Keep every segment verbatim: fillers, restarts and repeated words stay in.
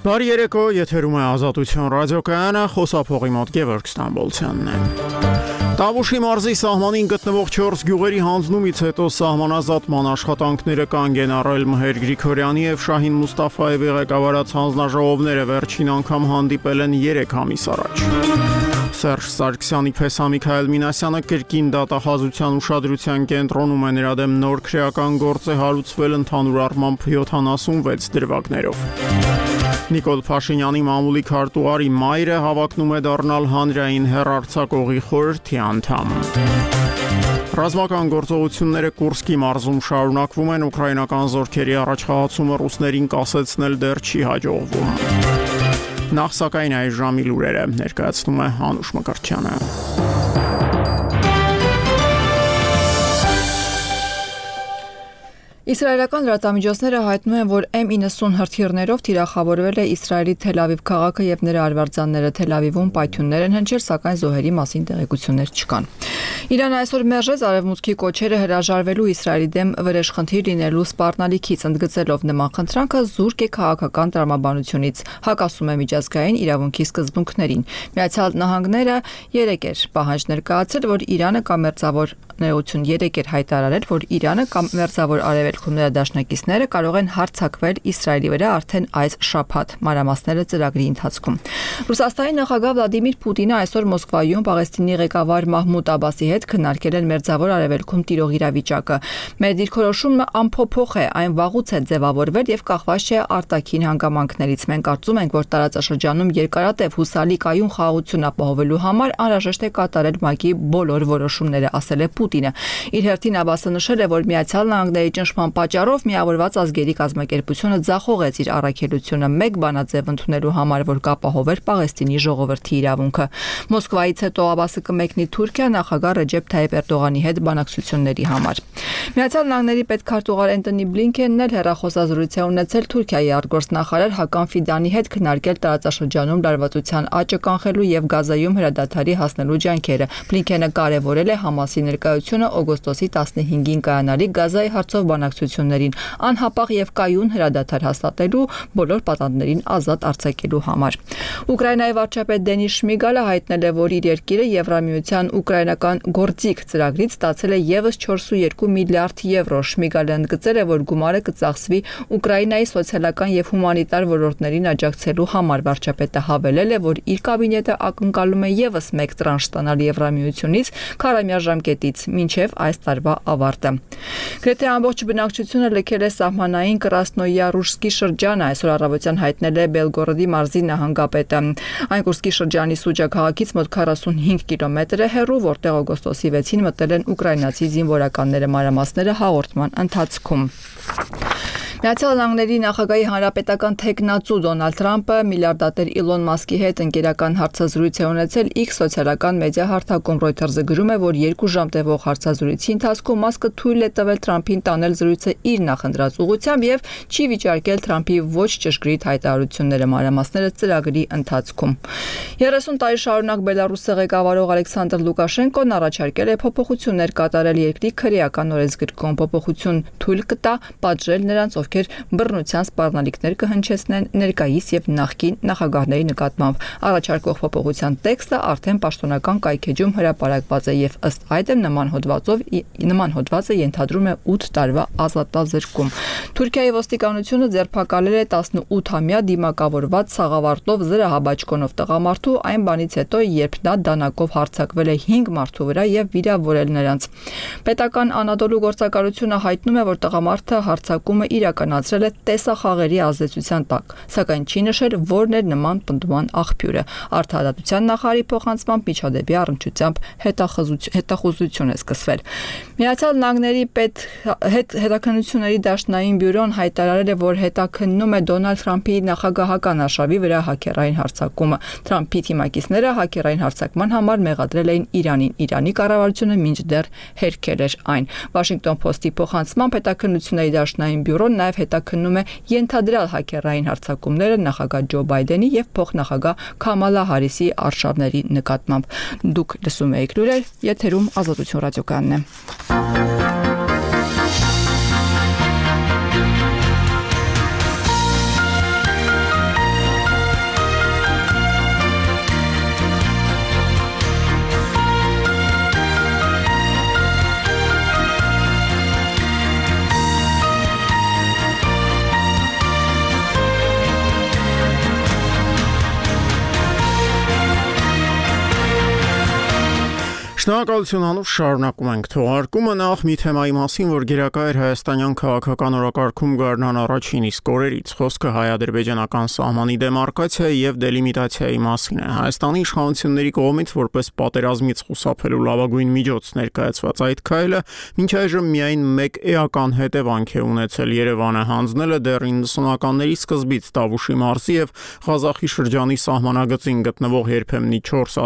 Բարի երեկո, եթերում է Ազատություն ռադիոկայանը, խոսափողի մոտ Գևորգ Ստամբոլցյանն է։ Տավուշի մարզի սահմանին գտնվող չորս գյուղերի հանձնումից հետո սահմանազատման աշխատանքները կանգ են առել Մհեր Գրիգորյանի եւ Շահին Մուստաֆայևի ղեկավարած հանձնաժողովները վերջին անգամ հանդիպել են երեք ամիս առաջ։ Սերժ Սարգսյանի փեսա Միքայել Մինասյանը կրկին դատախազության ուշադրության կենտրոնում է, նրա դեմ նոր քրեական գործ է հարուցվել ընդհանուր առմամբ յոթանասունվեց դրվագներով։ Նիկոլ Փաշինյանի մամուլի քարտուղարի մայրը հավակնում է դառնալ հանրային հեռարձակողի խորհրդի անդամ։ Ռազմական գործողությունները Կուրսկի մարզում շարունակվում են, ուկրաինական զորքերի առաջխաղացումը ռուսներին կասեցնել դեռ չի հաջողվում։ Նախ սակայն այս ժամի լուրերը ներկայացնում է Անուշ Մկրտչյանը։ Իսրայելական լրատվամիջոցները հայտնում են, որ Էմ իննսուն հրթիռներով թիրախավորվել է Իսրայելի Թել Ավիվ քաղաքը եւ նրա արվարձանները։ Թել Ավիվում պայթյուններ են հնչել, սակայն զոհերի մասին տեղեկություններ չկան։ Իրանը այսօր մերժեց արևմուտքի կոչերը հրաժարվելու Իսրայելի դեմ վրեժխնդիր լինելու սպառնալիքից, ընդգծելով նման խնդրանքը զուրկ է քաղաքական տրամաբանությունից, հակասում է միջազգային իրավունքի սկզբունքներին։ Միացյալ Նահանգները երեկ էր պահանջ ներկայացրել, որ Իրանը կամերձավոր ներողություն երեկ էր հայտարարել, որ Իրանը կամ մերձավոր արևելքում նրա դաշնակիցները կարող են հարձակվել Իսրայելի վրա արդեն այս շաբաթ, մանրամասները ծրագրի ընթացքում։ Ռուսաստանի նախագահ Վլադիմիր Պուտինը այսօր Մոսկվայում Պաղեստինի ղեկավար Մահմուդ Աբասի հետ քննարկել են մերձավոր արևելքում տիրող իրավիճակը։ Մեր դիրքորոշումը անփոփոխ է, այն վաղուց է ձևավորվել եւ կախված չէ արտաքին հանգամանքներից։ Մենք կարծում ենք, որ տարածաշրջանում երկարատև հուսալի կայուն խաղաղություն ապահովելու համար անհրաժեշտ է կատարել ՄԱԿ-ի բոլոր որոշումները, ասել է Պուտինը։ Իր հերթին Աբասը նշել է, որ Միացյալ Նահանգների ճնշման պատճառով Միավորված ազգերի կազմակերպությունը ձախողեց իր առաքելությունը մեկ բանաձև ընդունելու համար, որ կապահովեր Պաղեստինի ժողովրդի իրավունքը։ Մոսկվայից հետո Աբասը կմեկնի Թուրքիա նախագահ Ռեջեփ Թայիփ Էրդողանի հետ բանակցությունների համար։ Միացյալ Նահանգների պետքարտուղար Էնթոնի Բլինքենն էլ հեռախոսազրույց է ունեցել Թուրքիայի արտգործնախարար Հական Ֆիդանի հետ քննարկել տարածաշրջանում լարվածության աճը կանխելու եւ Գազայում հրադադարի հասնելու ջանքերը։ Բլինքենը կարևորել է Համասի ներկայությունը օգոստոսի տասնհինգին կայանալիք Գազայի հարցով բանակցություններին, անհապաղ եւ կայուն հրադադար հաստատելու, բոլոր պատանդներին ազատ արձակելու համար։ Ուկրաինայի վարչապետ Դենիս Շմիգալը հայտնել է, որ իր երկիրը Եվրամիության ուկրաինական գործիք ծրագրից ստացել է եւս չորսունյոթ միլիարդ եվրո։ Շմիգալը ընդգծել է, որ գումարը կծախսվի Ուկրաինայի սոցիալական եւ հումանիտար ոլորտներին աջակցելու համար։ Վարչապետը հավելել է, որ իր կաբինետը ակնկալում է եւս մեկ տրանշ ստանալ Եվրամիությունից քառամյա ժամկետից մինչև այս տարվա ավարտը։ Գրեթե ամբողջ բնակչությունը լքել է սահմանային Կրասնոյարուսկի շրջանը, այսօր առավոտյան հայտնել է Բելգորոդի մարզի նահանգապետը։ Այն Կուրսկի շրջանի Սուջա քաղաքից մոտ քառասունհինգ կիլոմետր է հեռու, որտեղ օգոստոսի վեցին մտել են ուկրաինացի զինվորականները, մանրամասները հաղորդման ընթացքում։ Միացյալ Նահանգների նախագահի հանրապետական թեկնածու Դոնալդ Թրամփը միլիարդատեր Իլոն Մասկի հետ ընկերական հարցազրույց է ունեցել X սոցիալական մեդիա հարթակում։ Reuters-ը գրում է, որ երկու ժամ տևող հարցազրույցի ընթացքում Մասկը թույլ է տվել Թրամփին տանել զրույցը իր նախընտրած ուղղությամբ եւ չի վիճարկել Թրամփի ոչ ճշգրիտ հայտարարությունները, մանրամասները ծրագրի ընթացքում։ երեսուն տարի շարունակ Բելարուսը ղեկավարող Ալեքսանդր Լուկաշենկոն առաջարկել է փոփոխություններ կատարել երկրի քրեական օրենսգրքում։ Փոփոխություն թույլ կտա պատժել նրանց, ովքեր բռնության սպառնալիքներ կհնչեցնեն ներկայիս եւ նախկին նախագահների նկատմամբ։ Առաջարկող փոփոխության տեքստը արդեն պաշտոնական կայքեջում հրապարակված է եւ ըստ այդմ նման հոդվածով նման հոդվածը ենթադրում է ութ տարվա ազատազրկում։ Թուրքիայի ոստիկանությունը ձերբակալել է տասնութամյա դիմակավորված սաղավարտով զրահաբաճկոնով տղամարդու այն բանից հետո, երբ նա դանակով հարձակվել է հինգ մարդու վրա եւ վիրավորել նրանց։ Պետական Անադոլու գործակալությունը հայտնում է, որ տղամարդը հարձակումը իրականացրել է տեսախաղերի ազդեցության տակ, սակայն չի նշել որն էր նման պնդման աղբյուրը։ Արդարադատության նախարարի փոխանցմամբ միջադեպի առնչությամբ հետախուզություն է սկսվել։ Միացյալ Նահանգների պետ հետաքննությունների դաշնային բյուրոն հայտարարել է, որ հետաքննում է Դոնալդ Թրամփի նախագահական արշավի վրա հաքերային հարձակումը։ Թրամփի թիմակիցները հաքերային հարձակման համար մեղադրել էին Իրանին։ Իրանի կառավարությունը մինչդեռ հերքել էր այն։ Washington Post-ի փոխանցմամբ հետաքննությունների դաշնային բյուրոն նաև հետաքննում է ենթադրյալ հաքերային հարձակումները նախագահ Ջո Բայդենի եւ փոխնախագահ Քամալա Հարիսի արշավների նկատմամբ։ Դուք լսում եք լուրեր, եթերում Ազատություն ռադիոկայանն է։ Շնորհակալություն Անուշ, շարունակում ենք թողարկումը նախ մի թեմայի մասին, որ գերակա էր հայաստանյան քաղաքական օրակարգում գարնան առաջին իսկ օրերից։ Խոսքը հայ-ադրբեջանական սահմանի դեմարկացիայի եւ դելիմիտացիայի մասին է։ Հայաստանի իշխանությունների կողմից որպես պատերազմից խուսափելու լավագույն միջոց ներկայացված այդ քայլը մինչ այժմ միայն մեկ էական հետևանք է ունեցել՝ Երևանը հանձնել է դեռ իննսունականների սկզբից Տավուշի մարզի եւ Ղազախի շրջանի սահմանագծին գտնվող երբեմնի չորս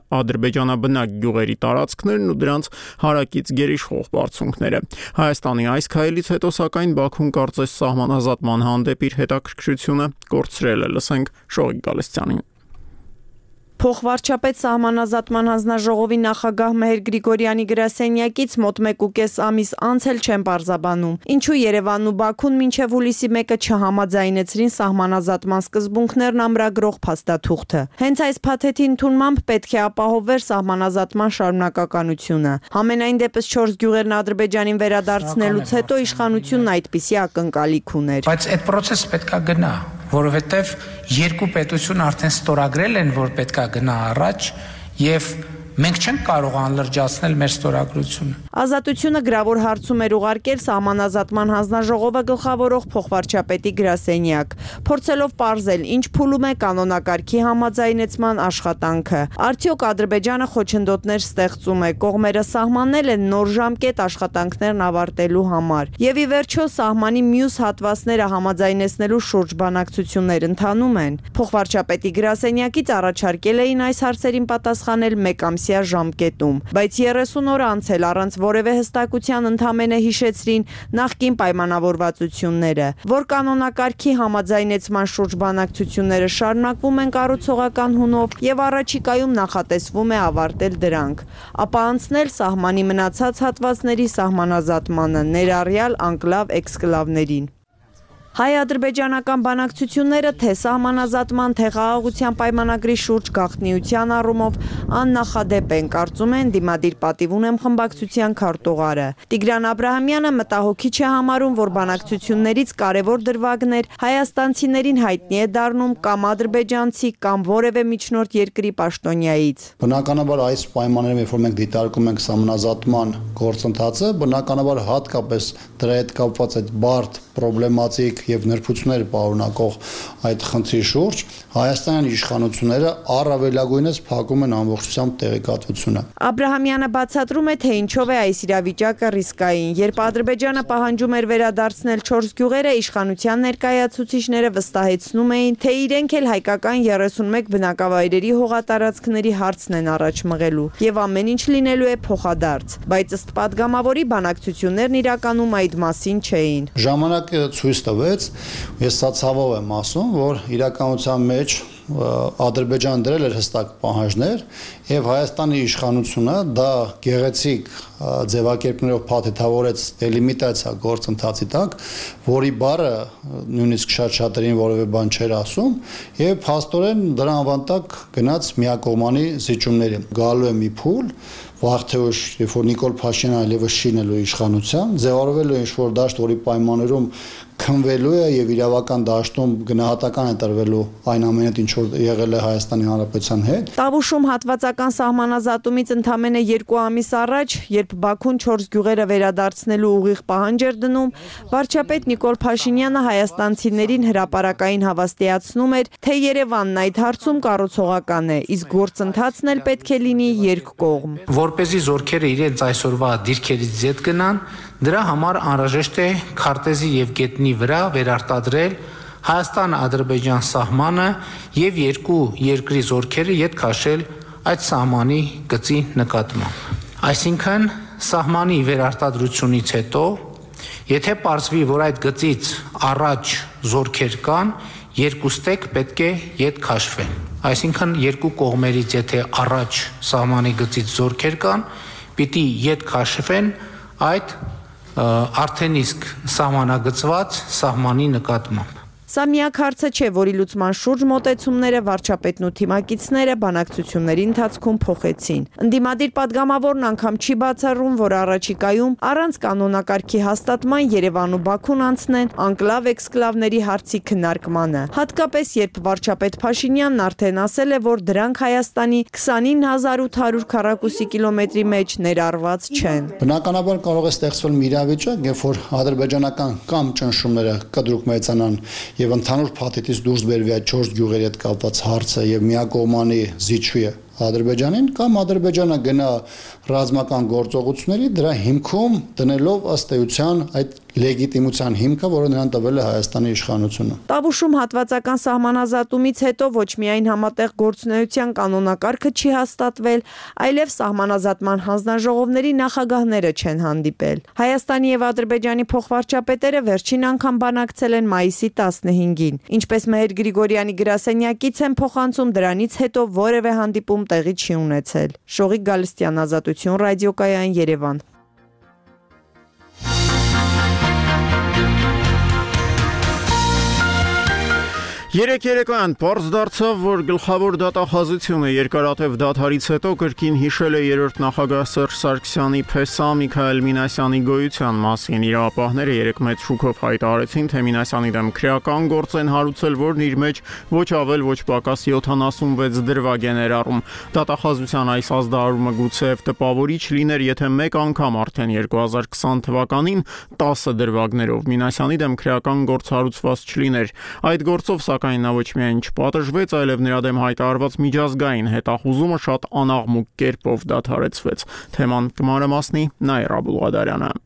ադրբեջանաբնակ գյուղերի տարածքներն ու դրանց հարակից գերիշխող բարձունքները։ Հայաստանի այս քայլից հետո սակայն Բաքուն կարծես սահմանազատման հանդեպ իր հետաքրքրությունը կորցրել է։ Լսենք Շողիկ Գալստյանին։ Փոխվարչապետ սահմանազատման հանձնաժողովի նախագահ Մեհեր Գրիգորյանի գրասենյակից մոտ մեկ ու կես ամիս անց էլ չեն պարզաբանում, ինչու Երևանն ու Բաքուն մինչև հուլիսի մեկը չհամաձայնեցրին սահմանազատման սկզբունքներն ամրագրող փաստաթուղթը։ Հենց այս փաթեթի ընդունմամբ պետք է ապահովվեր սահմանազատման շարունակականությունը։ Համենայն դեպս չորս գյուղերն Ադրբեջանին վերադարձնելուց հետո իշխանությունն այդպիսի ակնկալիք ուներ։ Բայց այդ process պետքա գնա, որովհետև երկու պետություն արդեն ստորագրել են, որ պետքա գնա առաջ եւ մենք չենք կարող անլրջացնել մեր ստորագրությունը։ Ազատությունը գրավոր հարցում էր ուղարկել սահմանազատման հանձնաժողովը գլխավորող փոխվարչապետի գրասենյակ, փորձելով պարզել, ինչ փուլում է կանոնակարգի համաձայնեցման աշխատանքը։ Արդյոք Ադրբեջանը խոչընդոտներ ստեղծում է, կողմերը սահմանել են նոր ժամկետ աշխատանքներն ավարտելու համար։ Եվ ի վերջո սահմանի մյուս հատվածները համաձայնեցնելու շուրջ բանակցություններ ընթանում են։ Փոխվարչապետի գրասենյակից առաջարկել էին այս հարցերին պատասխանել մեկ ամսյա ժամկետում, բայց երեսուն օր անց էլ առանց որևէ հստակության ընդամենը հիշեցրին նախկին պայմանավորվածությունները, որ կանոնակարգի համաձայնեցման շուրջ բանակցությունները շարունակվում են կառուցողական հունով եւ առաջիկայում նախատեսվում է ավարտել դրանք, ապա անցնել սահմանի մնացած հատվածների սահմանազատմանը, ներառյալ անկլավ էքսկլավներին։ Հայ-ադրբեջանական բանակցությունները թե սահմանազատման, թե խաղաղության պայմանագրի շուրջ գաղտնիության առումով աննախադեպ են, կարծում են դիմադիր պատիվ ունեմ խմբակցության քարտուղարը։ Տիգրան Աբրահամյանը մտահոգիչ է համարում, որ բանակցություններից կարևոր դրվագներ հայաստանցիներին հայտնի է դառնում կամ ադրբեջանցի կամ որևէ միջնորդ երկրի պաշտոնյայից։ Բնականաբար այս պայմաններում, երբ որ մենք դիտարկում ենք սահմանազատման գործընթացը, բնականաբար հատկապես դրա հետ կապված այդ բարդ պրոբլեմատիկ եւ նրբություններ պարունակող այդ խնդրի շուրջ հայաստանյան իշխանությունները առավելագույնս փակում են ամբողջությամբ տեղեկատվությունը։ Աբրահամյանը բացատրում է, թե ինչով է այս իրավիճակը ռիսկային։ Երբ Ադրբեջանը պահանջում էր վերադարձնել չորս գյուղերը, իշխանության ներկայացուցիչները վստահեցնում էին, թե իրենք էլ հայկական երեսունմեկ բնակավայրերի հողատարածքների հարցն են առաջ մղելու եւ ամեն ինչ լինելու է փոխադարձ, բայց ըստ падգամավորի բանակցություններն իրականում այդ մասին չէին։ Ժամանակը ցույց տվեց, ես սա ցավով եմ ասում, որ իրականության մեջ Ադրբեջանը դրել էր հստակ պահանջներ եւ Հայաստանի իշխանությունը դա գեղեցիկ ձևակերպներով փաթեթավորեց դելիմիտացիա գործընթացի տակ, որի բառը նույնիսկ շատ-շատերին որևէ բան չէր ասում եւ փաստորեն դրա անվանտակ գնաց միակողմանի զիջումների։ Գալու է մի փուլ, վաղ թե ուշ, երբ որ Նիկոլ Փաշինյանը այլևս չի լինելու իշխանության, ձևավորվելու է ինչ-որ դաշտ, որի պայմաններում քնվելու է եւ իրավական դաշտում գնահատական է տրվելու այն ամենը, ինչ որ եղել է Հայաստանի Հանրապետության հետ։ Տավուշում հատվածական սահմանազատումից ընդամենը երկու ամիս առաջ, երբ Բաքուն չորս գյուղերը վերադարձնելու ուղիղ պահանջ էր դնում, վարչապետ Նիկոլ Փաշինյանը հայաստանցիներին հրապարակային հավաստիացնում էր, թե Երևանն այդ հարցում կառուցողական է, իսկ գործընթացն էլ պետք է լինի երկկողմ։ Որպեսզի զորքերը իրենց այսօրվա դիրքերից ձետ գնան, դրա համար անհրաժեշտ է քարտեզի եւ գետնի վրա վերարտադրել Հայաստան-Ադրբեջան սահմանը եւ երկու երկրի զորքերը յետ քաշել այդ սահմանի գծի նկատմամբ։ Այսինքն սահմանի վերարտադրությունից հետո, եթե պարզվի, որ այդ գծից առաջ զորքեր կան, երկուստեք պետք է յետ քաշվեն։ Այսինքն երկու կողմերից եթե առաջ սահմանի գծից զորքեր կան, պիտի յետ քաշվեն այդ արդեն իսկ սահմանագծված սահմանի նկատմամբ։ Սա միակ հարցը չէ, որի լուծման շուրջ մոտեցումները վարչապետն ու թիմակիցները բանակցությունների ընթացքում փոխեցին։ Ընդդիմադիր падգամավորն անգամ չի բացառում, որ առաջիկայում առանց կանոնակարգի հաստատման Երևան ու Բաքուն անցնեն անկլավ-էքսկլավների հարցի քննարկմանը։ Հատկապես երբ վարչապետ Փաշինյանն արդեն ասել է, որ դրանք Հայաստանի քսանինը հազար ութ հարյուր քառակուսի կիլոմետրի մեջ ներառված չեն։ Բնականաբար կարող է ստեղծվել մի իրավիճակ, երբ որ ադրբեջանական կամ ճնշումները կտրուկ մեծանան եւ ընդհանուր փաթեթից դուրս բերվի այդ չորս գյուղերի հետ կապված հարցը եւ միակողմանի զիջվի Ադրբեջանին կամ Ադրբեջանը գնա ռազմական գործողությունների դրա հիմքում դնելով ըստ էության այդ լեգիտիմության հիմքը, որը նրան տվել է Հայաստանի իշխանությունը։ Տավուշում հատվածական սահմանազատումից հետո ոչ միայն համատեղ գործունեության կանոնակարգը չի հաստատվել, այլև սահմանազատման հանձնաժողովների նախագահները չեն հանդիպել։ Հայաստանի եւ Ադրբեջանի փոխվարչապետերը վերջին անգամ բանակցել են մայիսի տասնհինգին։ Ինչպես Մեհեր Գրիգորյանի գրասենյակից են փոխանցում, դրանից հետո որևէ հանդիպում տեղի չի ունեցել։ Շողիկ Գալստյան, Ազատություն, ռադիոկայան, Երևան։ Երեք երեկոյան պարզ դարձավ, որ գլխավոր դատախազությունը երկարատև դադարից հետո կրկին հիշել է երրորդ նախագահ Սերժ Սարգսյանի փեսա Միքայել Մինասյանի գոյության մասին։ Իրավապահները երեք մեծ շուքով հայտարարեցին, թե Մինասյանի դեմ քրեական գործ են հարուցել, որն իր մեջ ոչ ավել, ոչ պակաս յոթանասունվեց դրվագ է ներառում։ Դատախազության այս ազդարարումը գուցեև տպավորիչ լիներ, եթե մեկ անգամ արդեն երկու հազար քսան թվականին տասը դրվագներով Մինասյանի դեմ քրեական գործ հարուցված չլիներ։ Այդ գործով Սակայն նա ոչ միայն չպատժվեց, այլև նրա դեմ հայտարարված միջազգային հետախուզումը շատ անաղմուկ կերպով դադարեցվեց։ Թեման կմանրամասնի Նաիրա Բուլղադարյանը։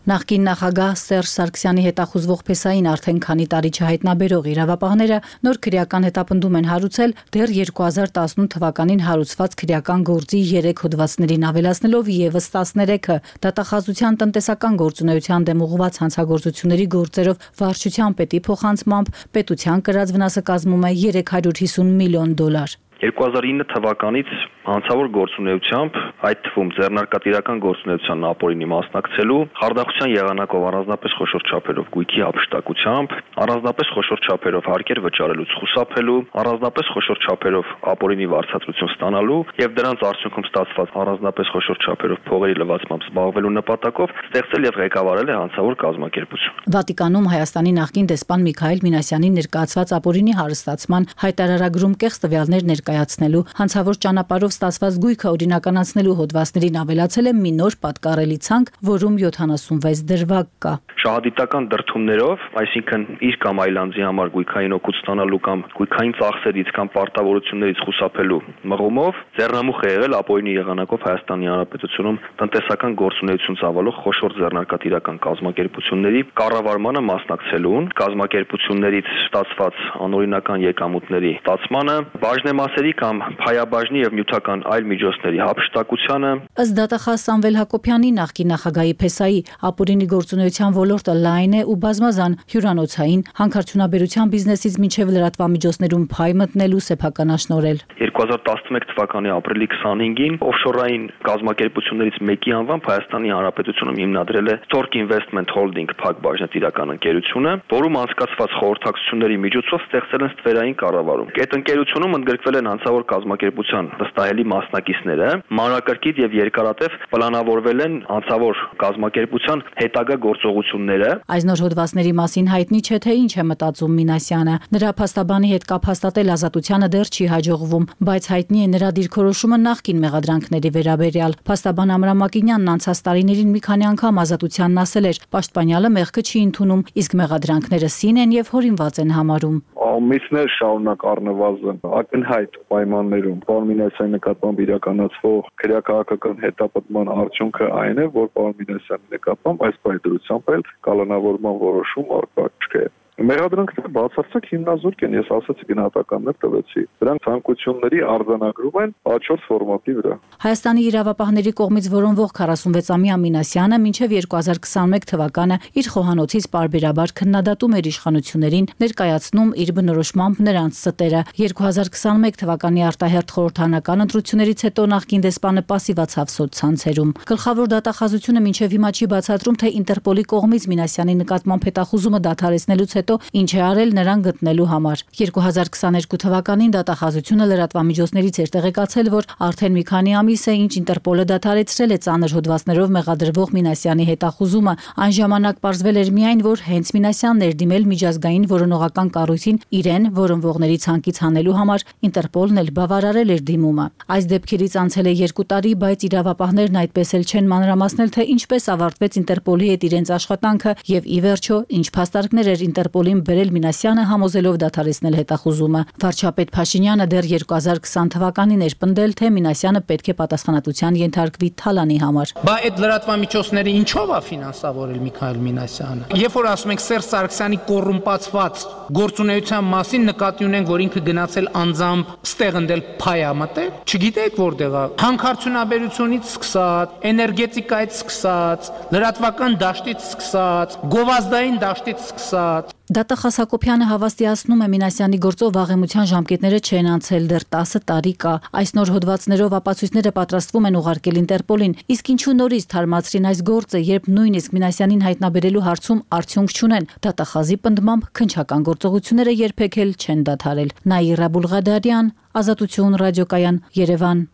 Նախկին նախագահ Սերժ Սարգսյանի հետախուզվող փեսային արդեն քանի տարի չհայտնաբերող իրավապահները նոր քրեական հետապնդում են հարուցել դեռ երկու հազար տասնութ թվականին հարուցված քրեական գործի երեք հոդվածներին ավելացնելով եւս տասներեքը դատախազության տնտեսական գործունեության դեմ ուղղված հանցագործությունների գործերով վարչության պետի փոխանցմամբ պետության կրած վնասը կազմում է երեք հարյուր հիսուն միլիոն դոլար։ երկու հազար ինը թվականից հանցավոր գործունեությամբ, այդ թվում ձեռնարկատիրական գործունեության ապօրինի մասնակցելու, խարդախության եղանակով առանձնապես խոշոր չափերով գույքի հափշտակությամբ, առանձնապես խոշոր չափերով հարկեր վճարելուց խուսափելու, առանձնապես խոշոր չափերով ապօրինի վարձատրություն ստանալու եւ դրանց արդյունքում ստացված առանձնապես խոշոր չափերով փողերի լվացմամբ զբաղվելու նպատակով ստեղծել եւ ղեկավարել է հանցավոր կազմակերպություն։ Վատիկանում Հայաստանի նախկին դեսպան Միքայել Մինասյանի ներկայացված ապօրինի հարստացման հայտարարագրում կեղծ տվյալներ ներկայացնելու, հանցավոր ճանապարհով ստացված գույքը օրինականացնելու հոդվածներին ավելացել է մի նոր պատկառելի ցանկ, որում յոթանասունվեց դրվագ կա։ Շահադիտական դրդումներով, այսինքն իր կամ այլ անձի համար գույքային օգուտ ստանալու կամ գույքային ծախսերից կամ պարտավորություններից խուսափելու մղումով ձեռնամուխ է եղել ապօրինի եղանակով Հայաստանի Հանրապետությունում տնտեսական գործունեություն ծավալող խոշոր ձեռնարկատիրական կազմակերպությունների կառավարմանը մասնակցելուն, կազմակերպություններից ստացված անօրինական եկամուտների ստացմանը, բաժնեմասերի կամ փայաբաժնի եւ նյութական այլ միջոցների հափշտակությանը։ Ըստ դատախազ Սամվել Հակոբյանի նախկին նախագահի փեսայի ապօրինի գործունեության ոլորտը լայն է ու բազմազան հյուրանոցային, հանքարդյունաբերության բիզնեսից մինչև լրատվամիջոցներում փայ մտնելու սեփականաշնորհել։ երկու հազար տասնմեկ թվականի ապրիլի քսանհինգին օֆշորային կազմակերպություններից մեկի անվամբ Հայաստանի Հանրապետությունում հիմնադրել է Tork Investment Holding փակ բաժնետիրական ընկերությունը, որում անցկացված խորհրդակցությունների միջոցով ստեղծել են ստվերային կառավարում։ Այդ ընկերությունում ընդգրկվել են հանցավոր կազմակերպության վստահելի մասնակիցները, մանրակրկիտ եւ երկարատև պլանավորվել են հանցավոր կազմակերպության հետագա գործողությունները։ Այս նոր հոդվածների մասին հայտնի չէ, թե ինչ է մտածում Մինասյանը։ Նրա փաստաբանի հետ կապ հաստատել Ազատությանը դեռ չի հաջողվում, բայց հայտնի է նրա դիրքորոշումը նախկին մեղադրանքների վերաբերյալ։ Փաստաբան Ամրամ Մակինյանն անցած տարիներին մի քանի անգամ Ազատությանն ասել էր, պաշտպանյալը մեղքը չի ընդունում, իսկ մեղադրանքները սին են եւ հորինված են համարում։ Ամիսներ շարունակ առնվազն ակնհայտ պայմաններում պարոն Մինասյանի նկատմամբ իրականացվող քրեակահաղական հետապնդման արդյունքը այն է, որ պարոն Մինասյանի նկատմամբ այս պայմանությամբ էլ կալանավորման որոշում առկա չէ։ Մեղադրանքները բացարձակ հիմնազուրկ են, ես ասացի գնահատականներ տվեցի։ Դրանք ցանկությունների արձանագրում են A չորս ֆորմատի վրա։ Հայաստանի իրավապահների կողմից որոնվող քառասունվեցամյա Մինասյանը մինչև երկու հազար քսանմեկ թվականը իր խոհանոցից պարբերաբար քննադատում էր իշխանություններին, ներկայացնում իր բնորոշմամբ նրանց ստերը։ երկու հազար քսանմեկ թվականի արտահերթ խորհրդարանական ընտրություններից հետո նախկին դեսպանը պասիվացավ սոցցանցերում։ Գլխավոր դատախազությունը մինչև հիմա չի բացատրում, թե Ինտերպոլի կողմից Մինասյանի նկատմամբ հետախուզումը դադարեցնելուց հետո հետո ինչ է արել նրան գտնելու համար։ երկու հազար քսաներկու թվականին դատախազությունը լրատվամիջոցներից էր տեղեկացել, որ արդեն մի քանի ամիս է ինչ Ինտերպոլը դադարեցրել է ծանր հոդվածներով մեղադրվող Մինասյանի հետախուզումը։ Այն ժամանակ պարզվել էր միայն, որ հենց Մինասյանն էր դիմել միջազգային որոնողական կառույցին իրեն որոնվողների ցանկից հանելու համար, Ինտերպոլն էլ բավարարել էր դիմումը։ Այս դեպքերից անցել է երկու տարի, բայց իրավապահներն այդպես էլ չեն մանրամասնել, թե ինչպես ավարտվեց Ինտերպոլի հետ իրենց աշխատանքը եւ ի վերջո ինչ փաստարկներ էր Ինտերպոլին բերել Մինասյանը համոզելով դադարեցնել հետախուզումը։ Վարչապետ Փաշինյանը դեռ երկու հազար քսան թվականին էր պնդել, թե Մինասյանը պետք է պատասխանատվության ենթարկվի Թալանի համար։ Բա այդ լրատվամիջոցները ինչով է ֆինանսավորել Միքայել Մինասյանը։ Երբ որ ասում ենք Սերժ Սարգսյանի կոռումպացված գործունեության մասին նկատի ունենք, որ ինքը գնացել անձամբ ստեղ ընդել փայա մտել, չգիտեք որտեղ է։ Հանքարդյունաբերությունից սկսած, էներգետիկայից սկսած, լրատվական դաշտից սկսած, գովազդային դաշտից սկսած։ Դատախազ Հակոբյանը հավաստիացնում է Մինասյանի գործով վաղեմության ժամկետները չեն անցել, դեռ տասը տարի կա։ Այս նոր հոդվածներով ապացույցները պատրաստվում են ուղարկել Ինտերպոլին, իսկ ինչու նորից թարմացրին այս գործը, երբ նույնիսկ Մինասյանին հայտնաբերելու հարցում արդյունք չունեն։ Դատախազի պնդմամբ քննչական գործողությունները երբեք էլ չեն դադարել։ Նաիրա Բուլղադարյան, Ազատություն ռադիոկայան, Երևան։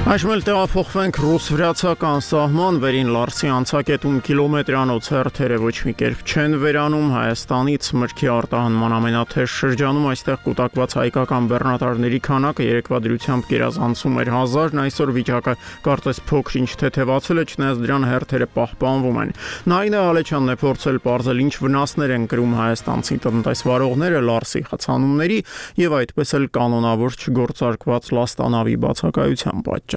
Այժմ էլ տեղափոխվենք ռուս-վրացական սահման վերին Լարսի անցակետում կիլոմետրանոց հերթերը ոչ մի կերպ չեն վերանում Հայաստանից մրգի արտահանման ամենաթեժ շրջանում այստեղ կուտակված հայկական բեռնատարների քանակը երեկվա դրությամբ գերազանցում էր հազարն այսօր վիճակը կարծես փոքր-ինչ թեթևացել է չնայած դրան հերթերը պահպանվում են Նայինե Ալեչյանն է փորձել պարզել ինչ վնասներ են կրում հայաստանցի տնտեսվարողները Լարսի խցանումների եւ այդպես էլ կանոնավոր չգործարկված լաստանավի բացակայության պատճառով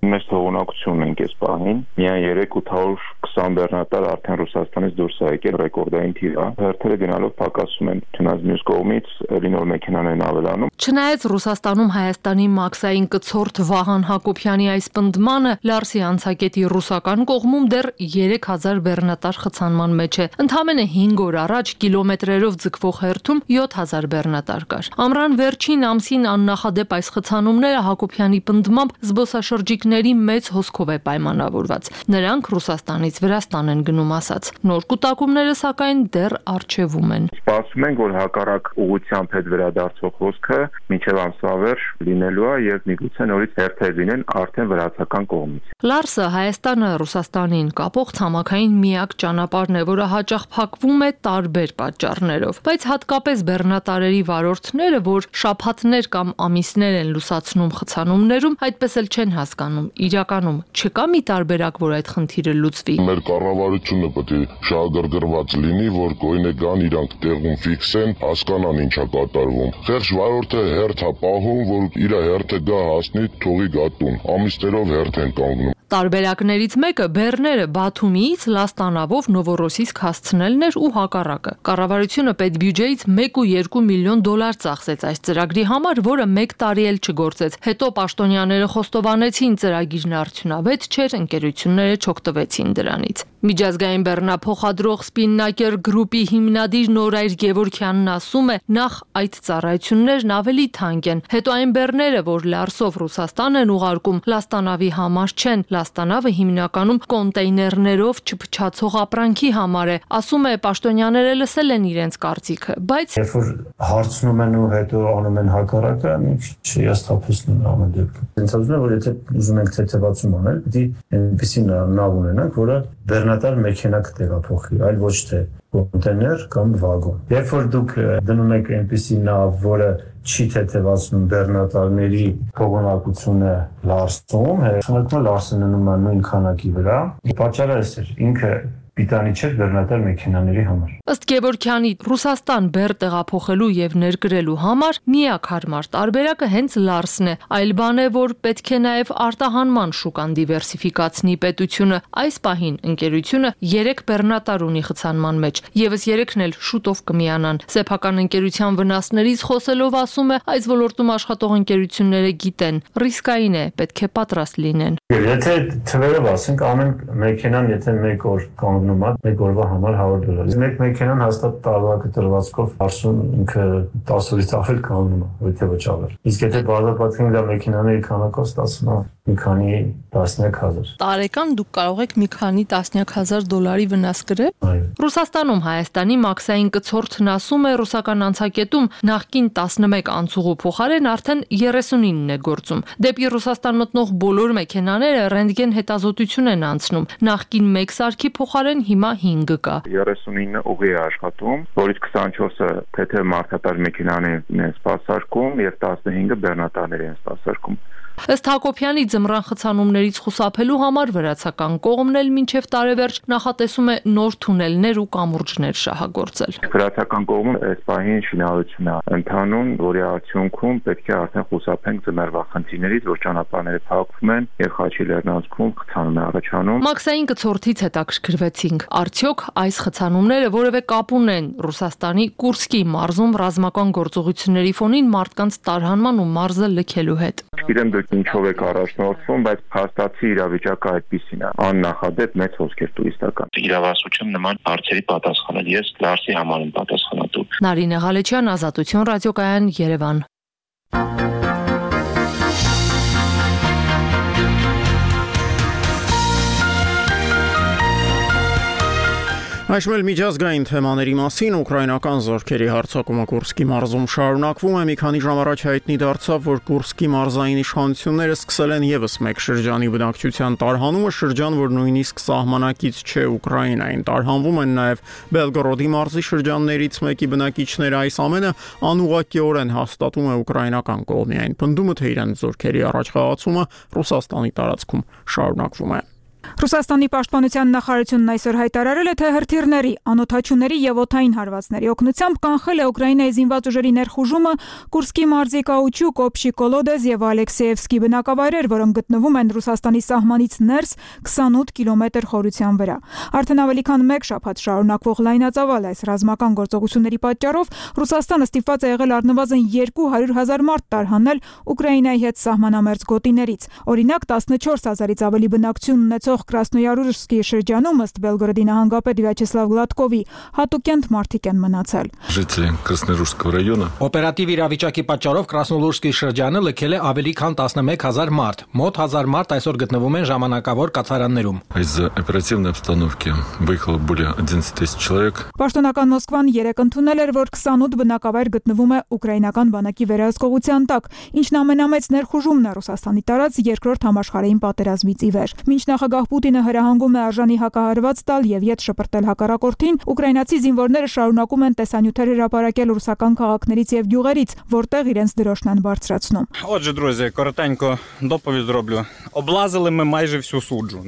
Մեծ թողունակություն ենք այս պահին։ Միայն երեք ութ հարյուր քսան բեռնատար արդեն Ռուսաստանից դուրս է եկել, ռեկորդային թիվ է։ Հերթերը գնալով պակասում են, չնայած մյուս կողմից էլի նոր մեքենաներն ավելանում։ Չնայած Ռուսաստանում Հայաստանի մաքսային կցորդ Վահան Հակոբյանի այս պնդմանը, Լարսի անցակետի ռուսական կողմում դեռ երեք հազար բեռնատար խցանման մեջ է։ Ընդամենը հինգ օր առաջ կիլոմետրերով ձգվող հերթում յոթ հազար բեռնատար կար։ Ամռան վերջին ամսին աննախադեպ այս խցանումները Հակոբյանի պնդմամբ զբոսաշրջիկ մեծ հոսքով է պայմանավորված։ Նրանք Ռուսաստանից Վրաստան են գնում ասած։ Նոր կուտակումները սակայն դեռ առջևում են։ Սպասում ենք, որ հակառակ ուղղությամբ հետ վերադարձող հոսքը մինչև ամսավերջ լինելու է եւ միգուցե նորից հերթեր լինեն արդեն վրացական կողմից։ Լարսը Հայաստանը Ռուսաստանին կապող ցամաքային միակ ճանապարհն է, որը հաճախ փակվում է տարբեր պատճառներով, բայց հատկապես բեռնատարերի վարորդները, որ շաբաթներ կամ ամիսներ են լուսացնում խցանումներում, այդպես էլ չեն հասկանում իրականում չկա մի տարբերակ, որ այդ խնդիրը լուծվի։ Մեր կառավարությունը պետք է շահագրգռված լինի, որ գույնը գան իրանք տեղում ֆիքսեն, հասկանան ինչա կատարվում։ Խեղճ վարորդը հերթ է պահում, որ իր հերթը գա հասնի, թողի գատուն։ Ամիսներով հերթ են կանգնում։ Տարբերակներից մեկը բեռները Բաթումիից Լաստանավով Նովորոսիսկ հասցնելն էր ու հակառակը։ Կառավարությունը պետբյուջեից մեկ ու երկու միլիոն դոլար ծախսեց այս ծրագրի համար, որը մեկ տարի էլ չգործեց։ Հետո պաշտոնյաները խոստովանեցին ծրագիրն արդյունավետ չէր, ընկերությունները չօգտվեցին դրանից։ Միջազգային բեռնափոխադրող Spinnaker Group-ի հիմնադիր Նորայր Գևորգյանն ասում է, նախ այդ ծառայություններն ավելի թանկ են, հետո այն բեռները, որ Լարսով Ռուսաստան են ուղարկում, Լաստանավի համար չեն, Լաստանավը հիմնականում կոնտեյներներով չփչացող ապրանքի համար է, ասում է պաշտոնյաները լսել են իրենց կարծիքը, բայց երբ որ հարցնում են ու հետո անում են հակառակը, ինչ հիասթափեցնում ամեն դեպքում։ Ինձ ասում է, որ եթե ուզում ենք թեթևացում անել, պիտի այնպեսի նավ ունենանք, որը բեռնատար մեքենա կտեղափոխի, այլ ոչ թե կոնտեյներ կամ վագոն։ Երբ որ դուք դնում եք այնպեսի նավ, որը չի թեթևացնում բեռնատարների թողունակությունը Լարսում, հետո Լարսը ննում է նույն քանակի վրա։ Պատճառը էս էր, ինքը պիտանի չէր բեռնատար մեքենաների համար։ Ըստ Գևորգյանի, Ռուսաստան բեռ տեղափոխելու եւ ներկրելու համար միակ հարմար տարբերակը հենց Լարսն է, այլ բան է, որ պետք է նաեւ արտահանման շուկան դիվերսիֆիկացնի պետությունը։ Այս պահին ընկերությունը երեք բեռնատար ունի խցանման մեջ, եւս երեքն էլ շուտով կմիանան։ Սեփական ընկերության վնասներից խոսելով ասում է, այս ոլորտում աշխատող ընկերությունները գիտեն, ռիսկային է, պետք է պատրաստ լինեն։ Եթե թվերով ասենք, ամեն մեքենան եթե մեկ օր կանգնի կանգնում է մեկ օրվա համար հարյուր դոլար։ Մեկ մեքենան հաստատ տարվա դրվածքով հարսում ինքը տասը օրից ավել կանգնում է, եթե վճարել։ Իսկ եթե բարձրացնենք դա մեքենաների քանակով ստացվում է մի քանի տասնյակ հազար։ Տարեկան դուք կարող եք մի քանի տասնյակ հազար դոլարի վնաս կրել։ Ռուսաստանում Հայաստանի մաքսային կցորդն ասում է, ռուսական անցակետում նախկին տասնմեկ անցուղու փոխարեն արդեն երեսունինն է գործում։ Դեպի Ռուսաստան մտնող բոլոր մեքենաները ռենտգեն հետազոտություն են անցնում։ Նախկին մեկ սարքի փոխարեն հիմա հինգը կա։ երեսունինը ուղի է աշխատում, որից քսանչորսը թեթև մարդատար մեքենաներն են սպասարկում եւ տասնհինգը բեռնատարներ են սպասարկում։ Ըստ Հակոբյանի ձմռան խցանումներից խուսափելու համար վրացական կողմն էլ մինչև տարեվերջ նախատեսում է նոր թունելներ ու կամուրջներ շահագործել։ Վրացական կողմը այս պահին շինարարություն է ընթանում, որի արդյունքում պետք է արդեն խուսափենք ձմեռվա խնդիրներից, որ ճանապարհները փակվում են եւ Խաչի լեռնանցքում խցանում է առաջանում։ Մաքսային կցորդից հետաքրքրվեցինք, արդյոք այս խցանումները որևէ կապ ունեն Ռուսաստանի Կուրսկի մարզում ռազմական գործողությունների ֆոնին մարդկանց տարհանման ու մարզը լքելու հետ։ Իրեն դուք ինչով եք առաջնորդվում, բայց փաստացի իրավիճակը այդպիսին է։ Աննախադեպ մեծ հոսքեր տուրիստական։ Իրավասություն նման հարցերի պատասխանել ես դարձի համար եմ պատասխանատու։ Նարինե Ղալեչյան, Ազատություն ռադիոկայան, Երևան։ Այժմ էլ միջազգային թեմաների մասին ուկրաինական զորքերի հարձակումը Կուրսկի մարզում շարունակվում է։ Մի քանի ժամ առաջ հայտնի դարձավ, որ Կուրսկի մարզային իշխանությունները սկսել են եւս մեկ շրջանի բնակչության տարհանումը, շրջան, որ նույնիսկ սահմանակից չէ Ուկրաինային։ Տարհանվում են նաեւ Բելգորոդի մարզի շրջաններից մեկի բնակիչները։ Այս ամենը անուղղակիորեն հաստատում է ուկրաինական կողմի այն պնդումը, թե իրենց զորքերի առաջխաղացումը Ռուսաստանի տարածքում շարունակվում է։ Ռուսաստանի պաշտպանության նախարարությունն այսօր հայտարարել է, թե հրթիռների, անօդաչուների եւ օդային հարվածների օգնությամբ կանխել է Ուկրաինայի զինված ուժերի ներխուժումը Կուրսկի մարզի Կաուչուկ, Օբշի Կոլոդեզ եւ Ալեքսեևսկի բնակավայրեր, որոնք գտնվում են Ռուսաստանի սահմանից ներս քսանութ կիլոմետր խորության վրա։ Արդեն ավելի քան մեկ շաբաթ շարունակվող լայնածավալ այս ռազմական գործողությունների պատճառով Ռուսաստանը ստիպված է եղել առնվազն երկու հարյուր հազար մարդ տարհանել Ուկրաինայի հետ սահմանամերձ գոտիներից։ Օրինակ տասնչորս հազարից ավելի բնակչություն ունեցող Կրասնոյարուսկի շրջանում ըստ Բելգորոդի նահանգապետ Վյաչեսլավ Գլատկովի հատուկենտ մարդիկ են մնացել։ Ժители Красноярского района Օպերատիվ իրավիճակի պատճառով Կրասնոլուրսկի շրջանը լքել է ավելի քան տասնմեկ հազար մարդ։ Մոտ հազար մարդ այսօր գտնվում են ժամանակավոր կացարաններում։ Из-за оперативной обстановки выехало более одиннадцати тысяч человек։ Պաշտոնական Մոսկվան երեկ ընդունել էր, որ քսանութ բնակավայր գտնվում է ուկրաինական բանակի վերահսկողության տակ, ինչն ամենամեծ ներխուժումն է Ռուսաստանի տարած երկրորդ համաշխարհային պատերազմից ի վեր։ Մինչ նախագահ Պուտինը հրահանգում է արժանի հակահարված տալ եւ ետ շպրտել հակառակորդին, ուկրաինացի զինվորները շարունակում են տեսանյութեր հրապարակել ռուսական քաղաքներից եւ գյուղերից, որտեղ իրենց дорожն են бարձրացնում։ Отже, друзі, коротенько доповідь зроблю. Облазили ми майже всю суджу.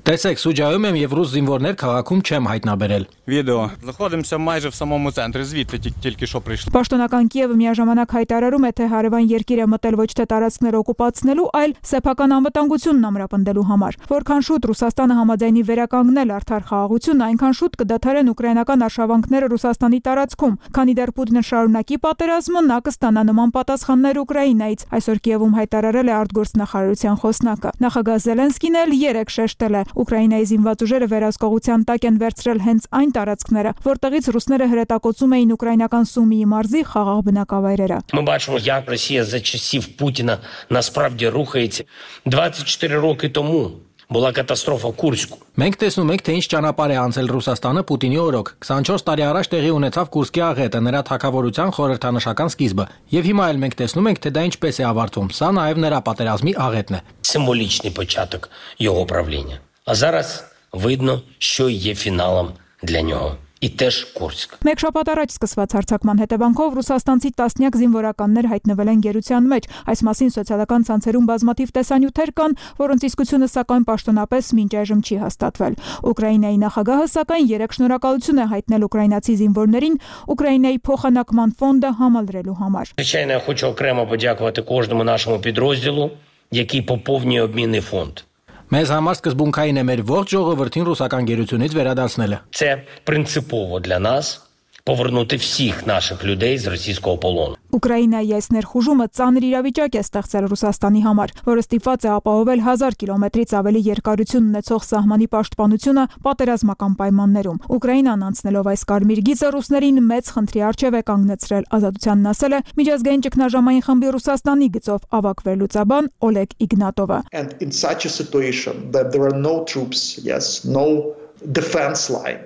Տեսեք, Սուջայում եմ եւ ռուս զինվորներ քաղաքում չեմ հայտնաբերել։ Відео. Знаходимося майже в самому центрі, звідти тільки що прийшли. Պաշտոնական Կիևը միաժամանակ հայտարարում է, թե հարևան երկիր է մտել ոչ թե տարածքները օկուպացնելու, այլ սեփական անվտանգությունն ամրապնդելու համար։ Որքան շուտ Ռուսաստանը համաձայնի վերականգնել արդար խաղաղությունը, այնքան շուտ կդադարեն ուկրաինական արշավանքները Ռուսաստանի տարածքում։ Քանի դեռ Պուտինը շարունակի պատերազմը, նա կստանա նման պատասխաններ Ուկրաինայից։ Այսօր Կիևում հայտարարել է արտգործնախարարության խոսնակը։ Նախագահ Զելենսկին էլ երեք շեշտել է. Ուկրաինայի զինված ուժերը վերահսկողության տակ են վերցրել հենց այն տարածքները, որտեղից ռուսները հրետակոծում էին ուկրաինական Սումիի մարզի խաղաղ բնակավայրերը։ Ми бачимо, як Росія за часів Путіна насправді рухається. двадцять чотири роки тому була катастрофа в Курську. Մենք տեսնում ենք, թե ինչ ճանապարհ է անցել Ռուսաստանը Պուտինի օրոք։ քսանչորս տարի առաջ տեղի ունեցավ Կուրսկի աղետը, նրա թագավորության խորհրդանշական սկիզբը։ Եվ հիմա էլ մենք տեսնում ենք, թե դա ինչպես է ավարտվում։ Սա նաև նրա պատերազմի աղետն է։ Символічний початок його правління. А зараз видно, що є фіналом для нього. І теж Курськ. Մեկ շաբաթ առաջ սկսված հարձակման հետևանքով ռուսաստանցի տասնյակ զինվորականներ հայտնվել են գերության մեջ։ Այս մասին սոցիալական ցանցերում բազմաթիվ տեսանյութեր կան, որոնց իսկությունը սակայն պաշտոնապես մինչ այժմ չի հաստատվել։ Ուկրաինայի նախագահը սակայն երեք շնորհակալություն է հայտնել ուկրաինացի զինվորներին Ուկրաինայի փոխանակման ֆոնդը համալրելու համար։ Звичайно, я хочу окремо подякувати кожному нашому підрозділу, який поповнює обмінний фонд. Մեզ համար սկզբունքային է մեր ողջ ժողովրդին ռուսական գերությունից վերադարձնելը։ Це принципово для нас повернути всіх наших людей з російського полону. Ուկրաինայի այս ներխուժումը ծանր իրավիճակ է ստեղծել Ռուսաստանի համար, որը ստիպված է ապահովել հազար կիլոմետրից ավելի երկարություն ունեցող սահմանի պաշտպանությունը պատերազմական պայմաններում։ Ուկրաինան անցնելով այս կարմիր գիծը ռուսներին մեծ խնդրի առջև է կանգնեցրել, Ազատությանն ասել է միջազգային ճգնաժամային խմբի Ռուսաստանի գծով ավագ վերլուծաբան Օլեգ Իգնատովը։ And in such a situation that there are no troops, yes, no defense line.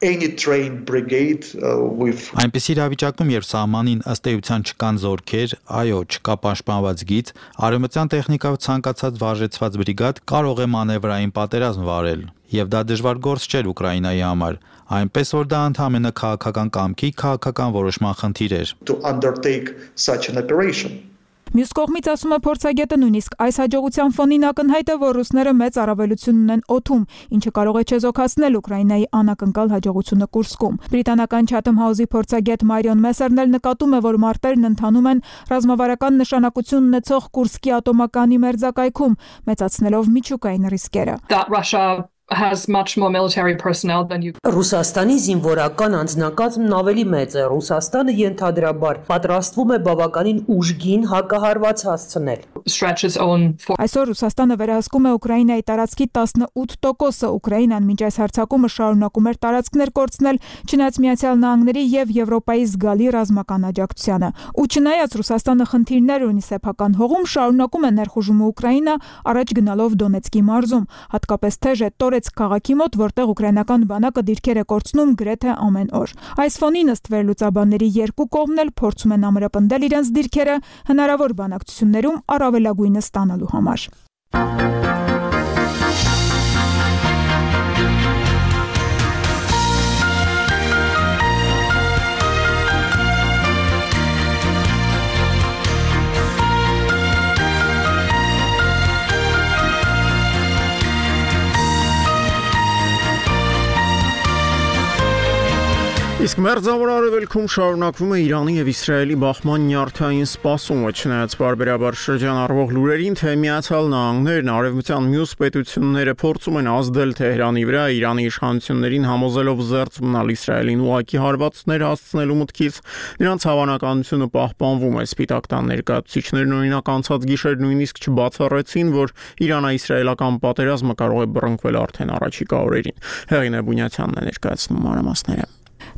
Any trained brigade uh, with Այնպիսի իրավիճակում, երբ սահմանին ըստ էության չկան զորքեր, այո, չկա պաշտպանված գիծ, արևմտյան տեխնիկայով ցանկացած վարժեցված բրիգադ կարող է մանևրային պատերազմ վարել, եւ դա դժվար գործ չէր Ուկրաինայի համար, այնպես որ դա ընդհանրապես քաղաքական կամքի քաղաքական որոշման խնդիր էր։ To undertake such an operation. Մյուս կողմից ասում է փորձագետը, նույնիսկ այս հաջողության ֆոնին ակնհայտ է, որ ռուսները մեծ առավելություն ունեն օդում, ինչը կարող է չեզոքացնել Ուկրաինայի անակնկալ հաջողությունը Կուրսկում։ Բրիտանական Chatham House-ի փորձագետ Մարիոն Մեսերն էլ նկատում է, որ մարտերն ընթանում են ռազմավարական նշանակություն ունեցող Կուրսկի ատոմականի մերձակայքում, մեծացնելով միջուկային ռիսկերը։ has much more military personnel than you. Ռուսաստանի զինվորական անձնակազմն ավելի մեծ է։ Ռուսաստանը ենթադրաբար պատրաստվում է բավականին ուժգին հակահարված հասցնել։ Այսօր Ռուսաստանը վերահսկում է Ուկրաինայի տարածքի տասնութ տոկոսը։ Ուկրաինան մինչ այս հարձակումը շարունակում էր տարածքներ կորցնել, չնայած Միացյալ Նահանգների եւ Եվրոպայի զգալի ռազմական աջակցությանը։ Ու չնայած Ռուսաստանը խնդիրներ ունի սեփական հողում, շարունակում է ներխուժումը Ուկրաինա, առաջ գնալով Դոնեցկի մարզում, հատկապես թեժ է Տորեցկ քաղաքի մոտ, որտեղ ուկրաինական բանակը դիրքեր է կորցնում գրեթե ամեն օր։ Այս ֆոնին ըստ վերլուծաբանների երկու կողմն էլ փորձում են ամրապնդել իրենց դիրքերը հնարավոր բանակցություններում առավելագույնը ստանալու համար։ Իսկ մերձավոր արևելքում շարունակվում է Իրանի եւ Իսրայելի բախման նյարդային սպասումը, չնայած բարբերաբար շրջանառվող լուրերին, թե Միացյալ Նահանգներն արևմտյան մյուս պետությունները փորձում են ազդել Թեհրանի վրա, Իրանի իշխանություններին համոզելով զերծ մնալ Իսրայելին ուղղակի հարվածներ հասցնելու մտքից, նրանց հավանականությունը պահպանվում է։ Սպիտակ տան ներկայացուցիչներն օրինակ անցած գիշեր նույնիսկ չբացառեցին, որ Իրանա-իսրայելական պատերազմը կարող է բռնկվել արդեն առաջիկա օրերին։ Հեղինե Բունյացյանն է ներկայացնում մանրամասները։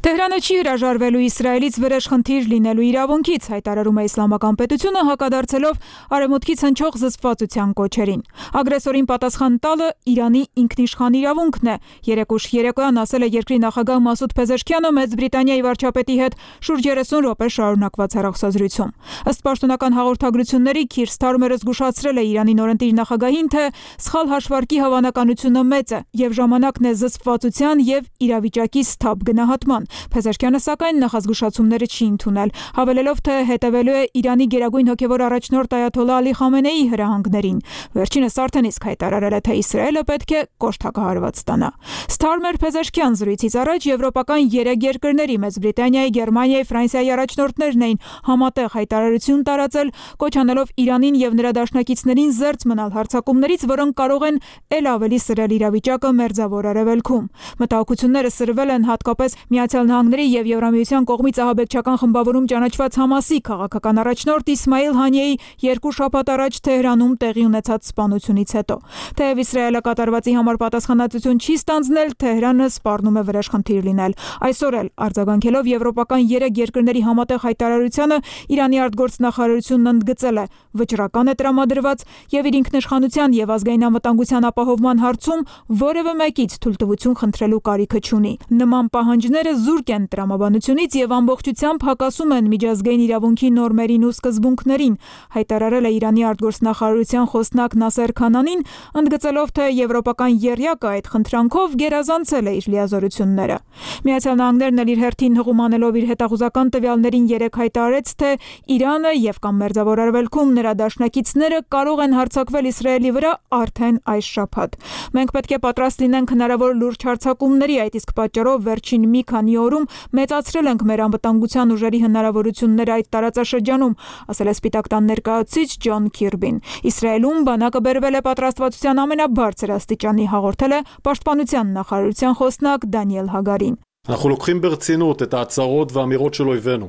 Թեհրանը չի հրաժարվելու Իսրայելից վրեժ խնդիր լինելու իրավունքից, հայտարարում է Իսլամական պետությունը, հակադարձելով արևմուտքից հնչող զսպվածության կոչերին։ Ագրեսորին պատասխան տալը Իրանի ինքնիշխան իրավունքն է, երեկուշ երեկոյան ասել է երկրի նախագահ Մասուդ Փեզեշքյանը Մեծ Բրիտանիայի վարչապետի հետ շուրջ երեսուն րոպե շարունակված հեռախոսազրույցում։ Ըստ պաշտոնական հաղորդագրությունների Քիր Սթարմերը զգուշացրել է Իրանի նորընտիր նախագահին, թե սխալ հաշվարկի հավանականությունը մեծ է եւ ժամանակն է զսպվածության եւ իրավիճակի սթափ գնահատման։ Փեզեշքյանը սակայն նախազգուշացումները չի ընդունել, հավելելով, թե հետևելու է Իրանի գերագույն հոգևոր առաջնորդ Այաթոլլահ Ալի Խամենեիի հրահանգներին։ Վերջինս արդեն իսկ հայտարարել է, թե Իսրայելը պետք է կոշտ հակահարված ստանա։ Սթարմեր Փեզեշքյան զրույցից առաջ եվրոպական երեք երկրների Մեծ Բրիտանիայի, Գերմանիայի, Ֆրանսիայի առաջնորդներն էին համատեղ հայտարարություն տարածել, կոչ անելով Իրանին եւ նրա դաշնակիցներին զերծ մնալ հարձակումներից, որոնք կարող են ել ավելի սրել իրավիճակը մերձավոր արևելքում։ Մտահոգությունները սրվել են հատկապես Միացյալ Նահանգների եւ Եվրամիության կողմից ահաբեկչական խմբավորում ճանաչված Համասի քաղաքական առաջնորդ Իսմայիլ Հանիեի երկու շաբաթ առաջ Թեհրանում տեղի ունեցած սպանությունից հետո։ Թեև Իսրայելը կատարվածի համար պատասխանատվություն չի ստանձնել, Թեհրանը սպառնում է վրեժ խնդիր լինել։ Այսօր էլ արձագանքելով եվրոպական երեք երկրների համատեղ հայտարարությանը, Իրանի արտգործնախարարությունն ընդգծել է վճռական է տրամադրված եւ իր ինքնիշխանության եւ ազգային անվտանգության ապահովման հարցում որևէ մեկից թույլտվություն խնդրելու կարիքը չունի։ Նման պահանջները զուրկ են տրամաբանությունից եւ ամբողջությամբ հակասում են միջազգային իրավունքի նորմերին ու սկզբունքներին, հայտարարել է Իրանի արտգործնախարարության խոսնակ Նասեր Քանանին, ընդգծելով, թե եվրոպական եռյակը այդ խնդրանքով գերազանցել է իր լիազորությունները։ Միացյալ Նահանգներն էլ իր հերթին հղում անելով իր հետախուզական տվյալներին երեք հայտարարեց, թե Իրանը եւ կամ Մերձավոր Արևելքում նրա դաշնակիցները կարող են հարձակվել Իսրայելի վրա արդեն այս շաբաթ։ Մենք պետք է պատրաստ լինենք հնարավոր լուրջ հարձակումների, այդ իսկ պատճառով վերջին մի քանի օրում մեծացրել ենք մեր անվտանգության ուժերի հնարավորությունները այդ տարածաշրջանում, ասել է Սպիտակ տան ներկայացուցիչ Ջոն Քիրբին։ Իսրայելում բանակը բերվել է պատրաստվածության ամենաբարձր աստիճանի, հաղորդել է Պաշտպանության նախարարության խոսնակ Դանիել Հագարին։ אנחנו לוקחים ברצינות את ההצהרות והאמירות של אויבינו.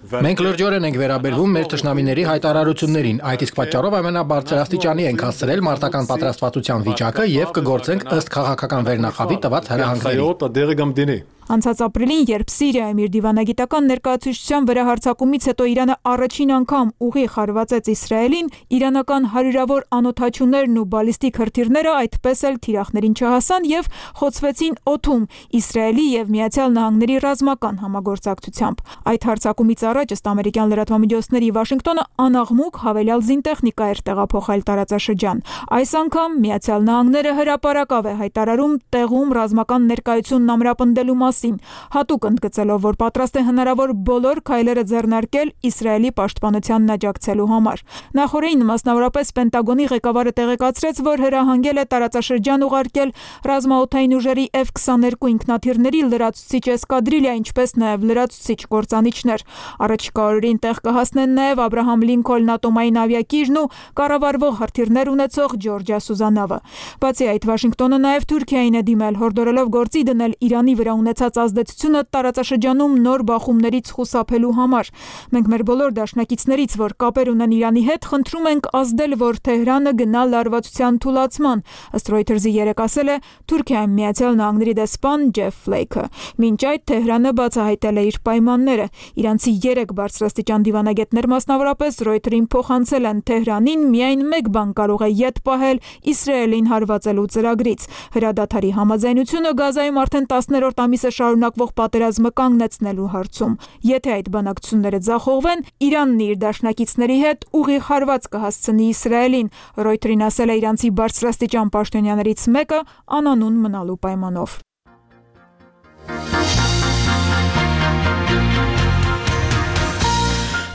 Մենք լրջորեն ենք վերաբերվում մեր թշնամիների հայտարարություններին, այդ իսկ պատճառով ամենաբարձրաստիճանի ենք հասցրել մարտական պատրաստվածության վիճակը եւ կգործենք ըստ քաղաքական վերնախավի տված հրահանգների։ Անցած ապրիլին, երբ Սիրիայում իր դիվանագիտական ներկայացուցչության վրա հարձակումից հետո Իրանը առաջին անգամ ուղիղ հարվածեց Իսրայելին, իրանական հարյուրավոր անօդաչուներն ու բալիստիկ հրթիռները այդպես էլ թիրախներին չհասան եւ խոցվեցին օդում Իսրայելի եւ Միացյալ Նահանգների ռազմական համագործակցությամբ։ Այդ հարձակումից առաջ ըստ ամերիկյան լրատվամիջոցների Վաշինգտոնը անաղմուկ հավելյալ զինտեխնիկա էր տեղափոխել տարածաշրջան։ Այս անգամ Միացյալ Նահանգները հրապարակավ է հայտարարում տեղում ռազմական ներկայությունն ամրապնդելու մասին, հատուկ ընդգծելով, որ պատրաստ է հնարավոր բոլոր քայլերը ձեռնարկել Իսրայելի պաշտպանությանն աջակցելու համար։ Նախորդին մասնավորապես Պենտագոնի ղեկավարը տեղեկացրեց, որ հրահանգել է տարածաշրջան ուղարկել ռազմաօդային ուժերի F twenty-two ինքնաթիռների լրացուցիչ էսկադրիլիա, ինչպես նաև լրացուցիչ կործանիչներ։ Առաջիկա օրերին տեղ կհասնեն նաև Աբրահամ Լինքոլն ատոմային ավիակիրն ու կառավարվող հրթիռներ ունեցող Ջորջիա Սուզանավը։ Բացի այդ, Վաշինգտոնը նաև Թուրքիային է դիմել, հորդորելով գործի դնել Իրանի վրա ունեցած ազդեցությունը տարածաշրջանում նոր բախումներից խուսափելու համար։ Մենք մեր բոլոր դաշնակիցներից, որ կապեր ունեն Իրանի հետ, խնդրում ենք ազդել, որ Թեհրանը գնա լարվածության թուլացման, ըստ Reuters-ի երեկ ասել է Թուրքիայում Միացյալ Նահանգների դեսպան Ջեֆ Ֆլեյքը։ Մինչ այդ Թեհրանը բացահայտել է իր պայմանները։ Իրանցի երեք բարձրաստիճան դիվանագետներ մասնավորապես Reuters-ին փոխանցել են Թեհրանին միայն մեկ բան կարող է ետ պահել Իսրայելին հարվածելու ծրագրից։ Հրադադարի համաձայնությունը Գազայում արդեն տասներորդ ամիսը շարունակվող պատերազմը կանգնեցնելու հարցում։ Եթե այդ բանակցությունները ձախողվեն, Իրանն իր դաշնակիցների հետ ուղիղ հարված կհասցնի Իսրայելին, Reuters-ին ասել է իրանցի բարձրաստիճան պաշտոնյաներից մեկը անանուն մնալու պայմանով։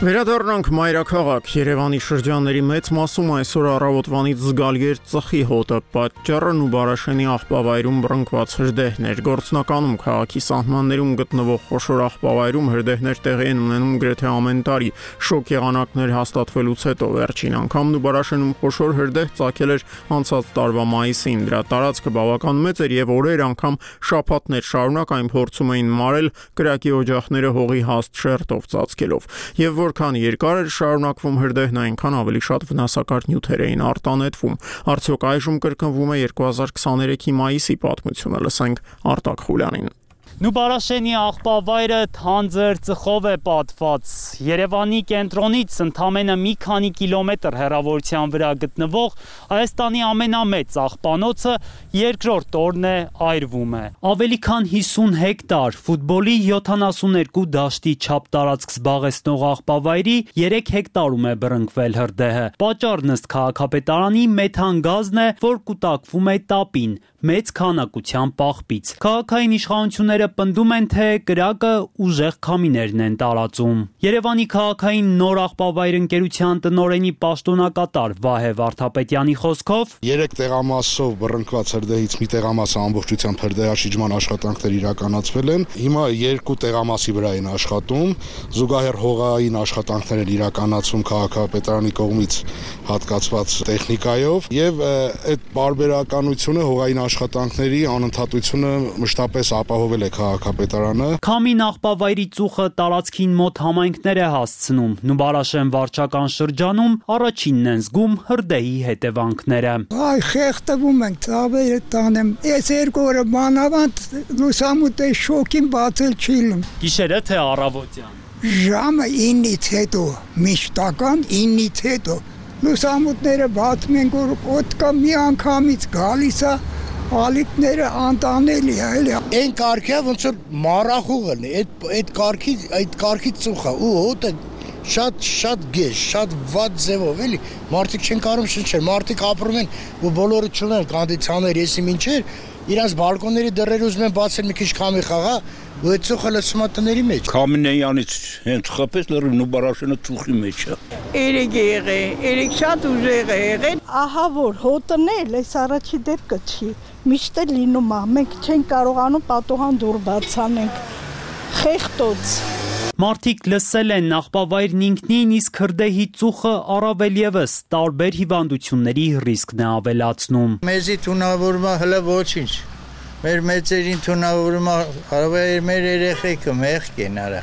Վերադառնանք մայրաքաղաք։ Երևանի շրջանների մեծ մասում այսօր առավոտվանից զգալի էր ծխի հոտը, պատճառն ու Բարաշենի աղբավայրում բռնկված հրդեհներ։ Գործնականում քաղաքի սահմաններում գտնվող խոշոր աղբավայրում հրդեհներ տեղի են ունենում գրեթե ամեն տարի։ Շոկ եղանակներ հաստատվելուց հետո վերջին անգամն ու Բարաշենում խոշոր հրդեհ ծագել էր անցած տարվա մայիսին։ Դրա տարածքը բավական մեծ էր եւ օրեր անգամ շաբաթներ շարունակ այն փորձում էին մարել կրակի օջախները հողի հաստ շերտով ծածկելով։ Եվ որ Որքան երկար էր շարունակվում հրդեհն, այնքան ավելի շատ վնասակար նյութեր էին արտանետվում։ Արդյոք այժմ կրկնվում է երկու հազար քսաներեքի մայիսի պատմությունը, լսենք Արտակ Խուլյանին։ Նուբարաշենի աղբավայրը թանձր ծխով է պատված։ Երևանի կենտրոնից ընդամենը մի քանի կիլոմետր հեռավորության վրա գտնվող Հայաստանի ամենամեծ աղբանոցը երկրորդ օրն է այրվում է։ Ավելի քան հիսուն հեկտար ֆուտբոլի յոթանասուներկու դաշտի չափ տարածք զբաղեցնող աղբավայրի երեք հեկտարում է բռնկվել հրդեհը։ Պատճառն ըստ քաղաքապետարանի մեթան գազն է, որ կուտակվում է տապին մեծ քանակության պաղբից։ Քաղաքային իշխանությունները պնդում են, թե կրակը ուժեղ քամիներն են տարածում։ Երևանի քաղաքային նոր աղբավայր ընկերության տնօրենի պաշտոնակատար Վահե Վարդապետյանի խոսքով երեք տեղամասով բռնկված հրդեհից մի տեղամասը ամբողջությամբ հրդեհաշիջման աշխատանքներ իրականացվել են։ Հիմա երկու տեղամասի վրա են աշխատում, զուգահեռ հողային աշխատանքներ են իրականացում քաղաքապետարանի կողմից հատկացված տեխնիկայով եւ այդ բարբերականությունը հողային աշխատանքների անընդհատությունը մշտապես ապահովել է քաղաքապետարանը։ Քամին աղբավայրի ծուխը տարածքին մոտ համայնքներ է հասցնում։ Նուբարաշեն վարչական շրջանում առաջինն են զգում հրդեհի հետևանքները։ Այ խեղդվում ենք, ծավերը տանեմ։ Այս երկու օրը մանավանդ լուսամուտի շոկին բացել չի լինում։ Գիշերը թե առավոտյան։ Ժամը ինից հետո, միշտական ինից հետո լուսամուտները բացում են, որ օդկա մի անգամից գալիս է, ալիքները անտանելի է, էլի։ Այն կարգը ոնց որ մարախուղն է, այդ այդ կարգի այդ կարգի ծուխը ու հոտը շատ շատ գեշ, շատ վատ ձևով, էլի։ Մարդիկ չեն կարող շնչել, մարդիկ ապրում են ու բոլորը չունեն կոնդիցիոներ, եսի մինչեր, իրանց բալկոնների դռները ուզում են բացել մի քիչ քամի խաղա, ու այդ ծուխը լցում է տների մեջ։ Քամինեյանից հենց խփեց լրիվ Նուբարաշենը ծուխի մեջ է։ Երեք եղել, երեք շատ ուժեղ է եղել։ Ահա որ հոտն էլ այս առաջի դեպքը չի։ Միշտ է լինում է, մենք չենք կարողանում պատուհան դուռ բացանենք։ Խեղտոց։ Մարդիկ լսել են աղբավայրն ինքնին, իսկ հրդեհի ծուխը առավել եւս տարբեր հիվանդությունների ռիսկն է ավելացնում։ Մեզի թունավորում է հələ ոչինչ։ Մեր մեծերին թունավորում է, հարավայր մեր երեխեքը մեղք են արա։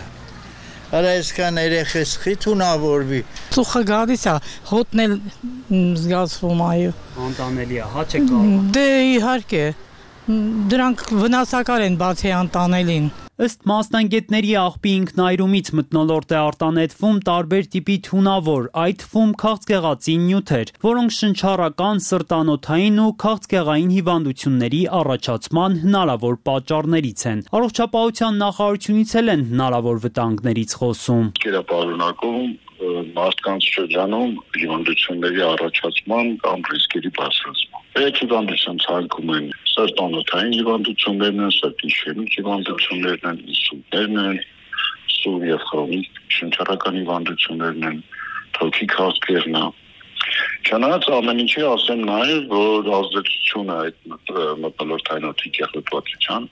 Արա այսքան երեխես խի թունավորվի։ Ծուխը գալիս է, հոտն էլ զգացվում այո։ Անտանելի է, հա չեք կարող։ Դե իհարկե։ Դրանք վնասակար են բացի անտանելին։ Ըստ մասնագետների աղբի ինքնայրումից մթնոլորտ է արտանետվում տարբեր տիպի թունավոր, այդ թվում քաղցկեղածի նյութեր, որոնք շնչառական, սրտանոթային ու քաղցկեղային հիվանդությունների առաջացման հնարավոր պատճառներից են։ Առողջապահության նախարարությունից էլ են հնարավոր վտանգներից խոսում։ Կերապարունակում մարդկանց շրջանում հիվանդությունների առաջացման կամ ռիսկերի բարձրացման։ Այդ հիվանդության ցանկում են սրտանոթային հիվանդություններն են, սրտի իշեմիկ հիվանդություններն են, ինսուլտներն են, սուր եւ քրոնիկ շնչառական հիվանդություններն են, թոքի քաղցկեղն է։ Չնայած ամեն ինչի ասեմ նաև, որ ազդեցությունը այդ մթնոլորտային օդի կեղտոտվածության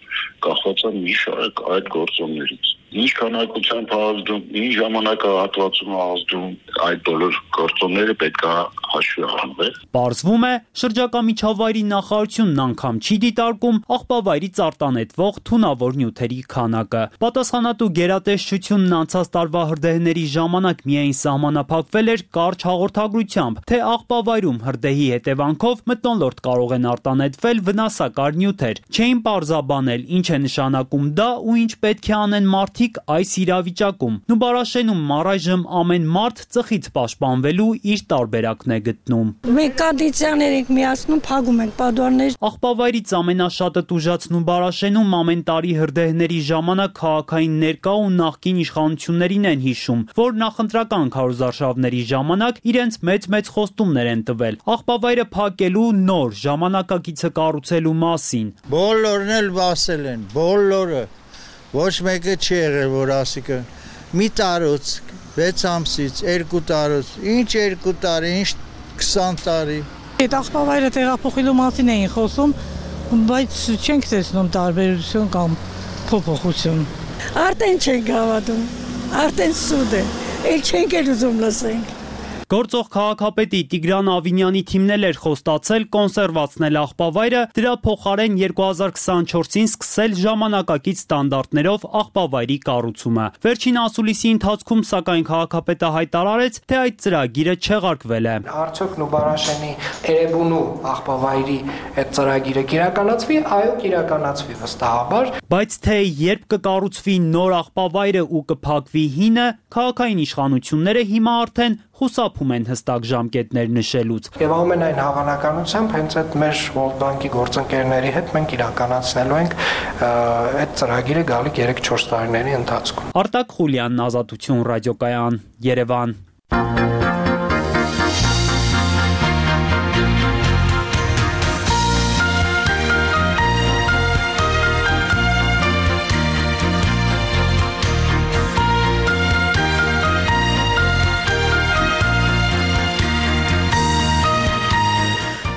կախված է մի շարք այդ գործոններից։ Ինչ քանակությամբ ազդում, ինչ ժամանակահատվածում ազդում, այդ բոլոր գործոնները պետք է հաշվի առնվել։ Պարզվում է, շրջակա միջավայրի նախարարությունն անգամ չի դիտարկում աղբավայրից արտանետվող թունավոր նյութերի քանակը։ Պատասխանատու գերատեսչությունն անցած տարվա հրդեհների ժամանակ միայն սահմանափակվել էր կարճ հաղորդագրությամբ, թե աղբավայրում հրդեհի հետևանքով մթնոլորտ կարող են արտանետվել վնասակար նյութեր։ Չէին պարզաբանել, ինչ է նշանակում դա ու ինչ պետք է անեն մարդիկ այս իրավիճակում։ Նուբարաշենում առայժմ ամեն մարդ ծխից պաշտպանվելու իր տարբերակն է գտնում։ Մենք կոնդիցիաներ ենք միացնում, փակում ենք պատուհաններ։ Աղբավայրից ամենաշատը տուժած Նուբարաշենում ամեն տարի հրդեհների ժամանակ քաղաքային ներկա ու նախկին իշխանություններին են հիշում, որ նախընտրական քարոզարշավների ժամանակ իրենց մեծ-մեծ խոստումներ են տվել։ Աղբավայրը փակելու նոր ժամանակակիցը կառուցելու մասին։ Բոլորն էլ ասել են, բոլորը։ Ոչ մեկը չի եղել, որ ասիկը մի տարուց, վեց ամսից, երկու տարուց, ինչ երկու տարի, ինչ քսան տարի։ Այդ աղբավայրը տեղափոխելու մասին էին խոսում, բայց չենք տեսնում տարբերություն կամ փոփոխություն։ Արդեն չենք հավատում, արդեն սուտ է, էլ չենք էլ ուզում լսենք։ Գործող քաղաքապետի Տիգրան Ավինյանի թիմն էլ էր խոստացել կոնսերվացնել աղբավայրը, դրա փոխարեն երկու հազար քսանչորսին սկսել ժամանակակից ստանդարտներով աղբավայրի կառուցումը։ Վերջին ասուլիսի ընթացքում սակայն քաղաքապետը հայտարարեց, թե այդ ծրագիրը չեղարկվել է։ Արդյոք Նուբարաշենի Էրեբունու աղբավայրի այդ ծրագիրը կիրականացվի, այո, կիրականացվի վստահաբար։ Բայց թե երբ կկառուցվի նոր աղբավայրը ու կփակվի հինը, քաղաքային իշխանությունները հիմա արդեն խուսափում են հստակ ժամկետներ նշելուց։ Եվ ամենայն հավանականությամբ հենց այդ մեր World Bank-ի գործընկերների հետ մենք իրականացնելու ենք այդ ծրագիրը գալիք երեք-չորս տարիների ընթացքում։ Արտակ Խուլյանն, Ազատություն ռադիոկայան, Երևան։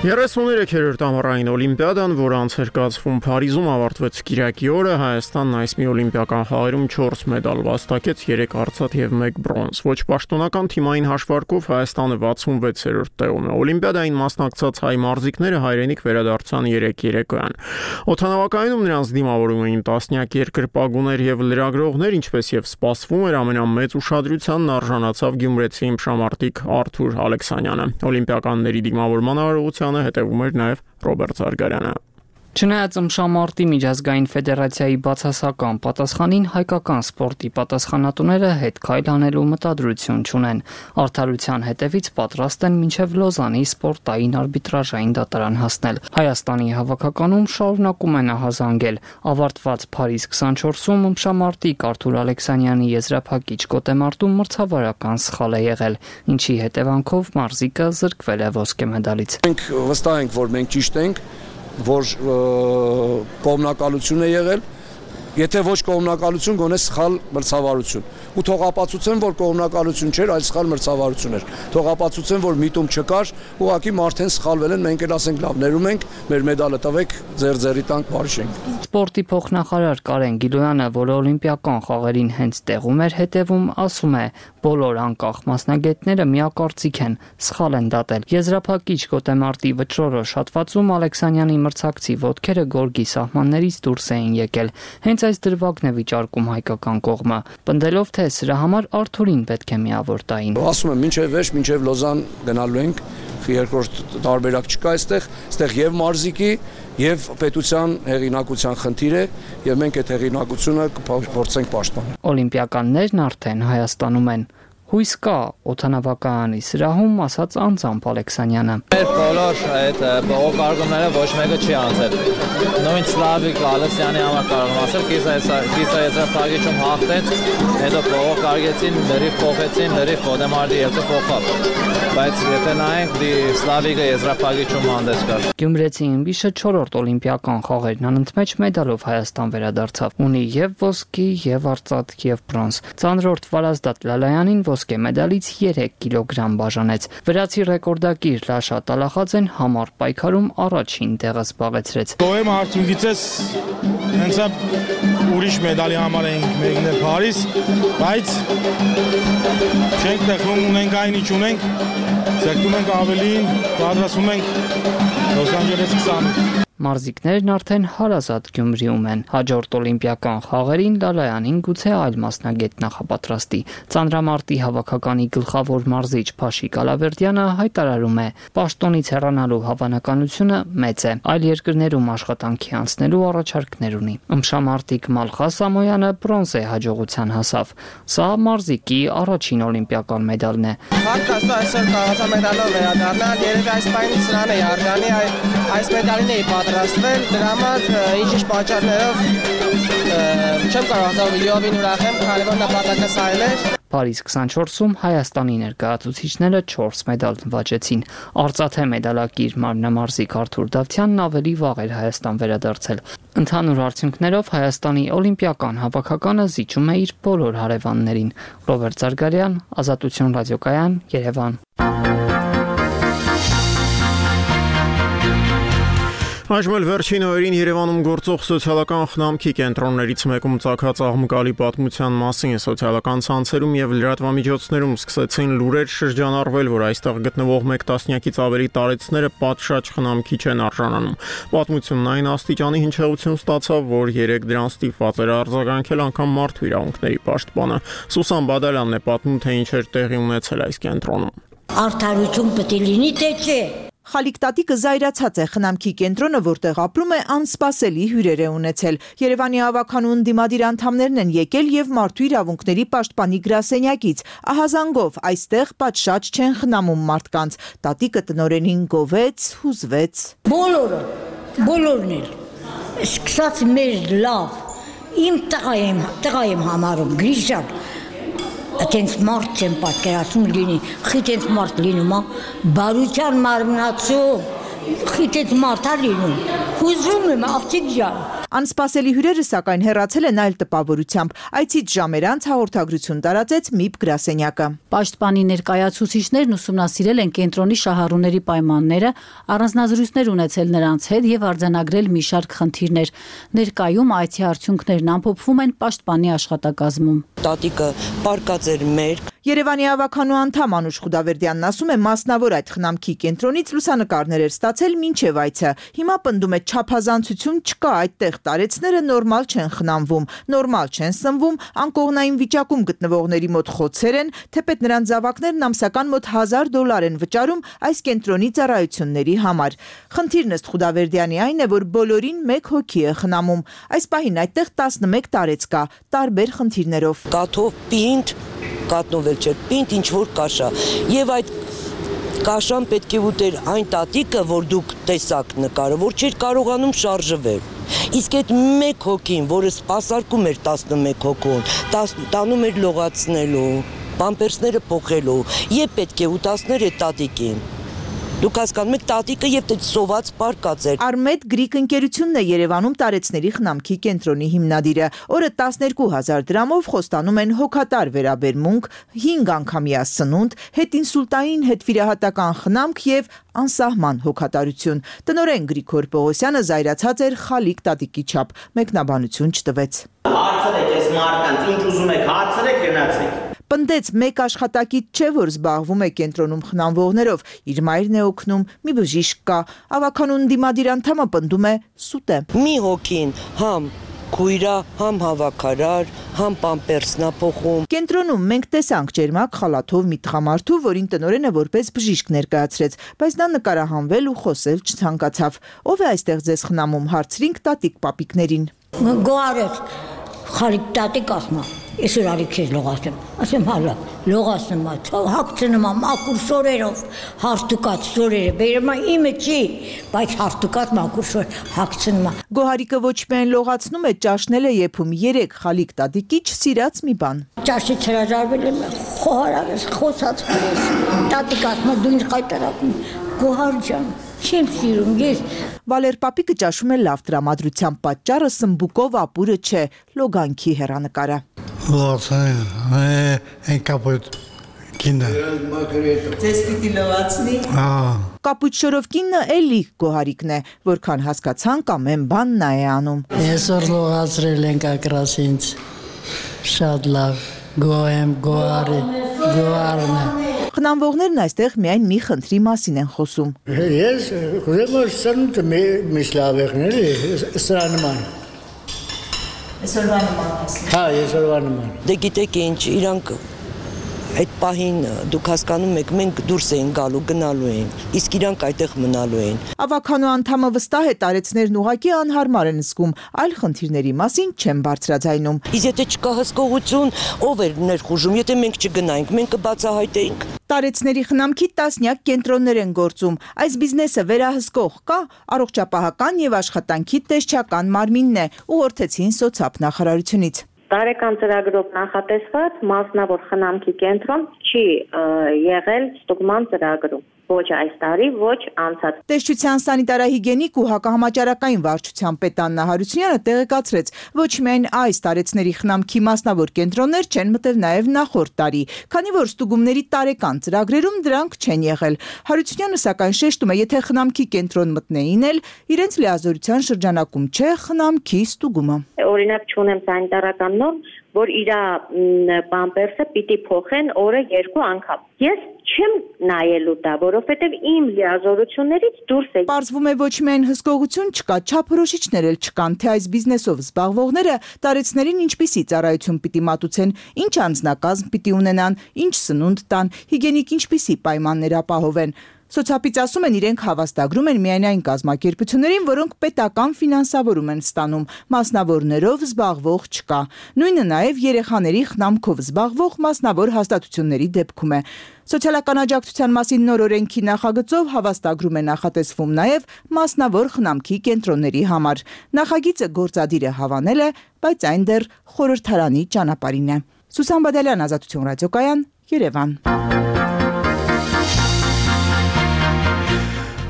երեսուններորդ ամառային օլիմպիադան, որ անցեր կացվում Փարիզում, ավարտվեց Կիրակի օրը։ Հայաստանն այս մի օլիմպիական խաղերում չորս մեդալ վաստակեց, երեք արծաթ եւ մեկ բրոնզ։ Ոչ պաշտոնական թիմային հաշվարկով Հայաստանը վաթսունվեցերորդ տեղում է։ Օլիմպիադային մասնակցած հայ մարզիկները հայրենիք վերադարձան երեք երեկոյան։ Օդանավակայանում նրանց դիմավորում էին տասնյակ երկրպագուներ եւ լրագրողներ, ինչպես եւ սպասվում էր, ամենամեծ ուշադրությանն արժանացավ գյումրեցի իմշամարտիկ Արթուր Ալեքսանյանը։ Օլիմպիականների դիմավորման արարողությանը հետևում էր նաեւ Ռոբերտ Զարգարյանը։ Չնայած ըմշամարտի միջազգային ֆեդերացիայի բացասական պատասխանին, հայկական սպորտի պատասխանատուները հետ քայլ անելու մտադրություն չունեն։ Արդարության հետևից պատրաստ են մինչև Լոզանի սպորտային արբիտրաժային դատարան հասնել։ Հայաստանի հավաքականում շարունակում են ահազանգել։ Ավարտված Փարիզ քսանչորսում ըմշամարտիկ Արթուր Ալեքսանյանի եզրափակիչ գոտեմարտում մրցավարական սխալ է եղել, ինչի հետևանքով մարզիկը զրկվել է ոսկե մեդալից։ Մենք վստահ ենք, որ մենք ճիշտ ենք, որ կողմնակալություն է եղել, եթե ոչ կողմնակալություն, գոնե սխալ մրցավարություն։ Ու թող ապացուցեն, որ կողմնակալություն չէր, այլ սխալ մրցավարություն էր։ Թող ապացուցեն, որ միտում չկար, ուղղակի մարդեն սխալվել են, մենք էլ ասենք լավ, ներում ենք, մեր մեդալը տվեք, ձեր ձերի տանք բարիշենք։ Սպորտի փոխնախարար Կարեն Գիլոյանը, որը օլիմպիական խաղերին հենց տեղում էր հետևում, ասում է, Բոլոր անկախ մասնագետները միակարծիք են, սխալ են դատել։ Եզրափակիչ գոտեմարտի վճռորոշ հատվածում Ալեքսանյանի մրցակցի ոտքերը գորգի սահմաններից դուրս էին եկել։ Հենց այս դրվագն է վիճարկում հայկական կողմը, պնդելով, թե սրա համար Արթուրին պետք է միավոր տային։ Ասում եմ, մինչև վերջ, մինչև Լոզան գնալու ենք, երկրորդ տարբերակ չկա այստեղ, այստեղ եւ մարզիկի եւ պետության հեղինակության խնդիր է եւ մենք այդ հեղինակությունը կփորձենք պաշտպանել։ Օլիմպիականներն արդեն Հայաստանում են։ Հույս կա օդանավակայանի սրահում, ասաց անձամբ Ալեքսանյանը։ Մեր բոլոր այդ բողոքարկումները ոչ մեկը չի անցել։ Նույն Սլավիկ Ալեքսյանի համար կարող եմ ասել, կիսա եզրափակիչում հաղթեց, հետո բողոքարկեցին, լրիվ փոխեցին, լրիվ Խոդեմարտի ելքը փոխավ։ Բայց եթե նայենք, դի Սլավիկը եզրափակիչում հանդես կար։ Գյումրեցի ըմբիշը չորրորդ օլիմպիական խաղերն անընդմեջ մեդալով Հայաստան վերադարձավ։ Ունի եւ ոսկի, եւ արծաթ, եւ բրոնզ։ Ծանրորդ Վարազդատ Լալայանին ոսկե մեդալից երեք կիլոգրամ բաժանեց։ Վրացի ռեկորդակիր Լաշա Տալախաձեն համառ պայքարում առաջին տեղը զբաղեցրեց։ Գոհեմ արդյունքից հենց ուրիշ մեդալի համար ենք մեկնել Փարիզ, բայց չենք տխրում, ունենք այն ինչ ունենք, ձգտում ենք ավելին, պատրաստվում ենք Լոս Անջելես քսան։ Մարզիկներն արդեն հարազատ Գյումրիում են։ Հաջորդ օլիմպիական խաղերին Լալայանին գուցե այլ մասնագետ նախապատրաստի։ Ծանրամարտի հավաքականի գլխավոր մարզիչ Փաշիկ Ալավերդյանը հայտարարում է, պաշտոնից հեռանալու հավանականությունը մեծ է։ Այլ երկրներում աշխատանքի անցնելու առաջարկներ ունի։ Ըմբշամարտիկ Մալխա Սամոյանը բրոնզե հաջողության հասավ։ Սա մարզիկի առաջին օլիմպիական մեդալն է։ Հարկ աստծո այսօր կարողացա մեդալով վերադառնալ, երևի այս պահին սրան է արգանի, այս մեդալին էի պատրաստվել, դրա համար ինչ-ինչ պատճառներով չեմ կարողացավ լիովին ուրախ եմ, քանի որ նպատակը սա էր։ Փարիզ քսանչորսում Հայաստանի ներկայացուցիչները չորս մեդալ նվաճեցին։ Արծաթե մեդալակիր մարմնամարզիկ Արթուր Դավթյանն ավելի վաղ էր Հայաստան վերադարձել։ Ընդհանուր արդյունքներով Հայաստանի օլիմպիական հավաքականը զիջում է իր բոլոր հարևաններին։ Ռոբերտ Զարգարյան, Ազատություն ռադիոկայան, Երևան։ Այժմ էլ վերջին օրերին Երևանում գործող սոցիալական խնամքի կենտրոններից մեկում ծագած աղմկալի պատմության մասին սոցիալական ցանցերում եւ լրատվամիջոցներում սկսեցին լուրեր շրջանառվել, որ այստեղ գտնվող մեկ տասնյակից ավելի տարեցները պատշաճ խնամքի չեն արժանանում։ Պատմությունն այն աստիճանի հնչեղություն ստացավ, որ երեք դրան ստիպված էր արձագանքել անգամ մարդու իրավունքների պաշտպանը։ Սուսան Բադալյանն է պատմում, թե ինչ էր տեղի ունեցել այս կենտրոնում։ Արդարություն պետք է լինի, թե չէ։ Խալիկ տատիկը զայրացած է խնամքի կենտրոնը, որտեղ ապրում է, անսպասելի հյուրեր է ունեցել։ Երևանի հավաքանուն դիմադիր անդամներն են եկել եւ մարդու իրավունքների պաշտպանի գրասենյակից։ Ահազանգով այստեղ պատշաճ չեն խնամում մարդկանց։ Տատիկը տնօրենին գովեց, հուզվեց։ Բոլորը, բոլորն էլ։ Սկսած մեզ լավ։ Իմ տղա եմ, տղա եմ համարում, Գրիշան։ Այդենց մարդ չեմ պատկերացնում լինի, խիտ մարդ լինում, բարության մարմնացում, խիտ մարդ է լինում, հուզում եմ աղջիկ ջան։ Անսպասելի հյուրերը սակայն հեռացել են այլ տպավորությամբ։ Այցից ժամեր անց հաղորդագրություն տարածեց ՄԻՊ գրասենյակը։ Պաշտպանի ներկայացուցիչներն ուսումնասիրել են կենտրոնի շահառուների պայմանները, առանձնազրույցներ ունեցել նրանց հետ եւ արձանագրել մի շարք խնդիրներ։ Ներկայում այցի արդյունքներն ամփոփվում են պաշտպանի աշխատակազմում։ Տատիկը պարկած էր մեր Երևանի հավաքանու անդամ Անուշ Խուդավերդյանն ասում է, մասնավոր այդ խնամքի կենտրոնից լուսանկարներ էր ստացել մինչև այցը։ Հիմա պնդում է չափազանցություն չկա, այդտեղ տարեցները նորմալ չեն խնամվում, նորմալ չեն սնվում, անկողնային վիճակում գտնվողների մոտ խոցեր են, թեպետ նրանց զավակներն ամսական մոտ հազար դոլար են վճարում այս կենտրոնի ծառայությունների համար։ Խնդիրն ըստ Խուդավերդյանի այն է, որ բոլորին մեկ հոգի է խնամում։ Այս պահին այդտեղ տասնմեկ տարեց կա, տարբեր խնդիրներով։ Կաթով պինդ կատնովել չէր, պինդ ինչ-որ կաշա, և այդ կաշան պետք է ուտեր այն տատիկը, որ դուք տեսակ նկարը, որ չէր կարողանում շարժվել, իսկ այդ մեկ հոգին, որը սպասարկում էր տասնմեկ հոգուն, տանում էր լողացնելու, պամպերսները փոխելու, և պետք է ուտասներ այդ տատիկին։ Դուք հասկանում եք, տատիկը եւ սոված պարկած էր։ Արմեդ Գրիկ ընկերությունն է Երևանում տարեցների խնամքի կենտրոնի հիմնադիրը։ Օրը տասներկու հազար դրամով խոստանում են հոգատար վերաբերմունք, հինգ անգամյա սնունդ, հետինսուլտային հետվիրահատական խնամք եւ անսահման հոգատարություն։ Տնօրեն Գրիգոր Պողոսյանը զայրացած էր Խալիկ տատիկի չափ, մեկնաբանություն չտվեց։ Հարցրեք այս մարդկանց, ինչ ուզում եք, հարցրեք, գնացեք։ Պնդեց մեկ աշխատակից չէ, որ զբաղվում է կենտրոնում խնամվողներով, իր մայրն է օգնում, մի բժիշկ կա, ավականուն դիմադիր անդամը պնդում է սուտ է։ Մի հոգին համ քույրա, համ հավաքարար, համ պամպերսնա փոխում։ Կենտրոնում մենք տեսանք ջերմակ խալաթով մի տղամարդու, որին տնօրենը որպես բժիշկ ներկայացրեց, բայց նա նկարահանվել ու խոսել չցանկացավ։ Ո՞վ է այստեղ ձեզ խնամում, հարցրինք տատիկ պապիկներին։ Գոհարես խալիկ տատիկ ասма, ես ուրալի քեզ լողացեմ, ասեմ հալա, լողացնում ա, հագցնում ա մաքուր շորերով, հարթուկած շորերը, բերում ա իմը չի, բայց հարթուկած մաքուր շոր հագցնում ա։ Գոհարիկը ոչ միայն լողացնում է, ճաշնել է եփում երեք խալիկ տատիկի չսիրած մի բան։ Ճաշից հրաժարվել եմ, խոհարավես, խոսած պրես, տատիկ ասма դու ինձ խայտարակում, Գոհար ջան, չեմ սիրում ես։ Վալեր պապիկը ճաշում է լավ տրամադրության պատճառը սմբուկով ապուրը չէ, լոգանքի հեռանկարը։ Ձեզ պիտի լվացնի։ Կապույտ շորով կինը էլի Գոհարիկն է, որքան հասկացանք ամեն բան նա է անում։ Այսօր լողացրել ենք ակրաս ինձ, շատ լավ, գոհեմ, գոհարի, գոհարն է։ Խնամվողներն այստեղ միայն մի խնդրի մասին են խոսում։ Ես ուզում եմ սրանուտը միշտ լավ եղնել, սրա նման։ Այսօրվա նման ասում։ Հա, այսօրվա նման։ Դե գիտեք ինչ, իրանք այդ պահին դուք հասկանում եք, մենք դուրս էին գալու, գնալու էին, իսկ իրանք այդտեղ մնալու էին։ Ավականու անդամը վստահ է տարեցներն ուղղակի անհարմար են զգում, այլ խնդիրների մասին չեն բարձրաձայնում։ Իսկ եթե չկա հսկողություն, ով էր ներխուժում, եթե մենք չգնայինք, մենք կբացահայտեինք։ Տարեցների խնամքի տասնյակ կենտրոններ են գործում։ Այս բիզնեսը վերահսկող կա, առողջապահական եւ աշխատանքի տեսչական մարմինն է, ուղղորդեցին սոցապ նախարարությունից։ Տարեկան ծրագրով նախատեսված մասնավոր խնամքի կենտրոն չի եղել ստուգման ծրագրում, ոչ այս տարի, ոչ անցած։ Տեսչության սանիտարահիգենիկ ու հակահամաճարակային վարչության պետ Աննա Հարությունյանը տեղեկացրեց, ոչ միայն այս տարեցների խնամքի մասնավոր կենտրոններ չեն մտել նաև նախորդ տարի, քանի որ ստուգումների տարեկան ծրագրերում դրանք չեն եղել։ Հարությունյանը սակայն շեշտում է, եթե խնամքի կենտրոն մտնեին էլ, իրենց լիազորության շրջանակում չէ խնամքի ստուգումը։ Օրինակ չունեմ սանիտարական նորմ, որ իր պամպերսը պիտի փոխեն օրը երկու անգամ։ Ես չեմ նայելու դա, որովհետև իմ լիազորություններից դուրս է։ Պարզվում է ոչ միայն հսկողություն չկա, չափորոշիչներ էլ չկան, թե այս բիզնեսով զբաղվողները տարեցներին ինչպիսի ծառայություն պիտի մատուցեն, ինչ անձնակազմ պիտի ունենան, ինչ սնունդ տան, հիգենիկ ինչպիսի պայմաններ ապահովեն։ Սոցապից ասում են, իրենք հավաստագրում են միայն այն կազմակերպություններին, որոնք պետական ֆինանսավորում են ստանում, մասնավորներով զբաղվող չկա։ Նույնը նաև երեխաների խնամքով զբաղվող մասնավոր հաստատությունների դեպքում է։ Սոցիալական աջակցության մասին նոր օրենքի նախագծով հավաստագրում է նախատեսվում նաև մասնավոր խնամքի կենտրոնների համար։ Նախագիծը գործադիրը հավանել է, բայց այն դեռ խորհրդարանի ճանապարհին է։ Սուսան Բադալյան, Ազատություն ռադիոկայան, Երևան։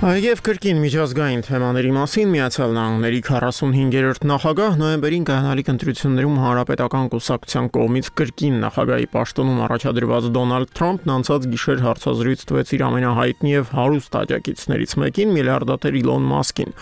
Եվ կրկին միջազգային թեմաների մասին Միացյալ Նահանգների քառասունհինգերորդ նախագահ նոյեմբերին կայանալիք ընտրություններում Հանրապետական կուսակցության կողմից կրկին նախագահի պաշտոնում առաջադրված Դոնալդ Թրամփն անցած գիշեր հարցազրույց տվեց իր ամենահայտնի եւ հարուստ աջակիցներից մեկին, միլիարդատեր Իլոն Մասկին։